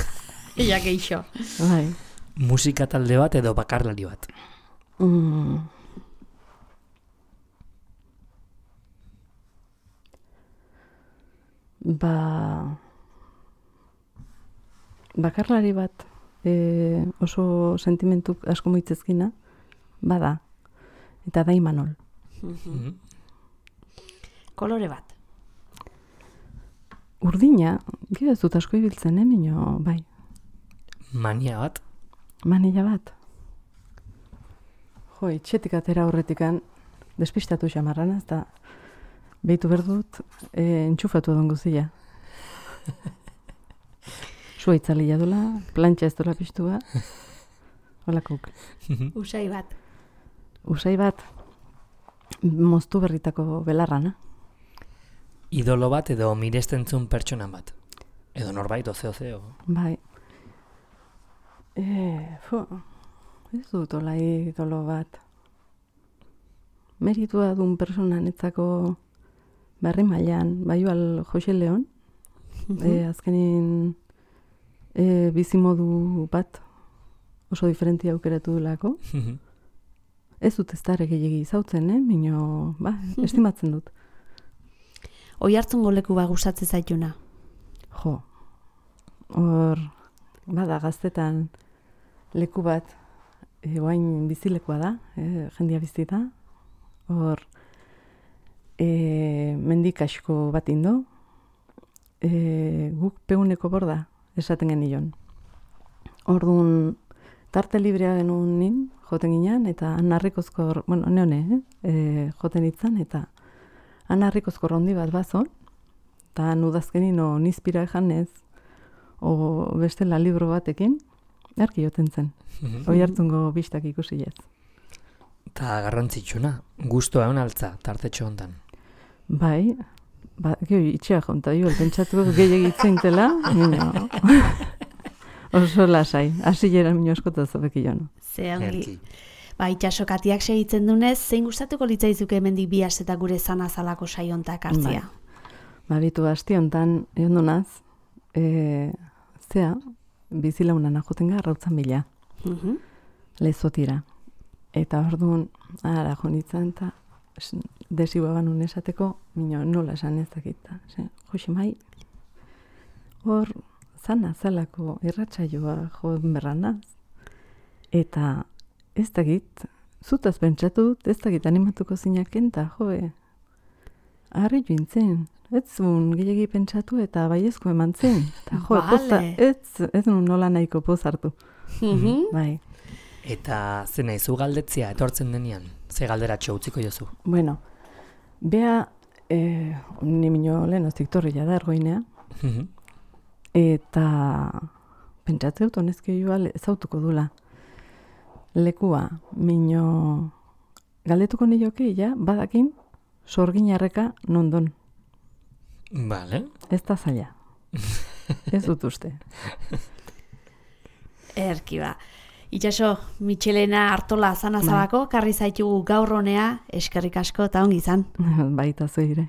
[SPEAKER 2] Ella geixo.
[SPEAKER 3] Bai.
[SPEAKER 1] Musika talde bat edo bakarlari bat.
[SPEAKER 3] Mm. Ba... Bakarlari bat e, oso sentimentuk asko moitzezkina, bada. Eta da Imanol.
[SPEAKER 1] Mhm.
[SPEAKER 2] Kolore bat.
[SPEAKER 3] Urdina, gero ez dut asko ibiltzen, eh, mino, bai.
[SPEAKER 1] Mania bat.
[SPEAKER 3] Manila bat. Jo, itxetik atera horretikan, despistatu xamarran, ez da, behitu berdut, e, entxufatu edon guzia. Sua itzalia dola, plantxa ez dola piztua, holakuk.
[SPEAKER 2] Usai bat.
[SPEAKER 3] Usai bat, moztu berritako belarrana.
[SPEAKER 1] Idolo bat edo mirestentzun pertsona bat. Edo norbait, ozeo zeo.
[SPEAKER 3] Bai. E, fu, Ez dut ola idolo bat. Meritua duen persona netzako barri mailan, baiual Jose Leon, e, azkenin e, bizimodu bat oso diferentia aukeratu dulako. Ez dut ez dara gehiagi izautzen, eh? Mino, ba, estimatzen dut.
[SPEAKER 2] Oihartzungo leku ba gustatzen zaituna?
[SPEAKER 3] Jo, hor, bada gaztetan leku bat, e, oain bizilekua da, e, jendia bizita. Hor, e, mendik asko bat indo, e, guk peguneko borda esaten genion. Orduan, tarte librea genuen nin, joten ginean, eta anarrikozko, bueno, neone, eh? e, joten itzan, eta anarrikozko rondi bat bazon, eta nudazkenin o nizpira janez, o bestela libro batekin, erki joten zen. Oihartzungo bistak ikusi ez.
[SPEAKER 1] Eta garrantzitsuna, guztua egon altza, tartetxo hontan.
[SPEAKER 3] Bai, ba, gehi itxea jonta, jo, pentsatuko gehiagitzen tela, mino, oso lasai, hasi jera mino eskota zobeki joan.
[SPEAKER 2] Ze ongi. Ba, itxasokatiak segitzen dunez, zein gustatuko litzaizuke hemendik bi aste eta gure zana zalako saiontak hartzia?
[SPEAKER 3] Ba, bitu asti hontan, egon donaz, e, zea, bizilaunan ajoten gara rautzan bila,
[SPEAKER 2] Uh-huh.
[SPEAKER 3] lezotira. Eta orduan, ara jonitzen, eta desiba banun esateko, mino nola esan ez dakita. Jose mai, hor, zana zalako irratsaioa jo berranaz. Eta ez dakit, zutaz pentsatut, ez dakit animatuko zinaken, eta joe, harri jointzen. Ez zuen gehiagi pentsatu eta baiezko eman zen. Eta jo,
[SPEAKER 2] Vale.
[SPEAKER 3] poza, ez, ez nun nola nahiko poz hartu.
[SPEAKER 2] Uh-huh.
[SPEAKER 3] Bai.
[SPEAKER 1] Eta ze nahizu galdetzia etortzen denean, ze galderatxo utziko jozu?
[SPEAKER 3] Bueno, bea, eh, ni mino lehen oztik torrila da ergoinea, eta pentsatzeu honezke joa ezautuko dula. Lekua, mino galdetuko nioke, ja, badakin, sorginarreka nondon.
[SPEAKER 1] Vale.
[SPEAKER 3] Ez da zaila. Ez dut uste.
[SPEAKER 2] Erki ba. Itxaso, Michelena Artola zana zabako, karri zaitugu gaur honea, eskerrik asko eta ongi izan.
[SPEAKER 3] Baita zuire.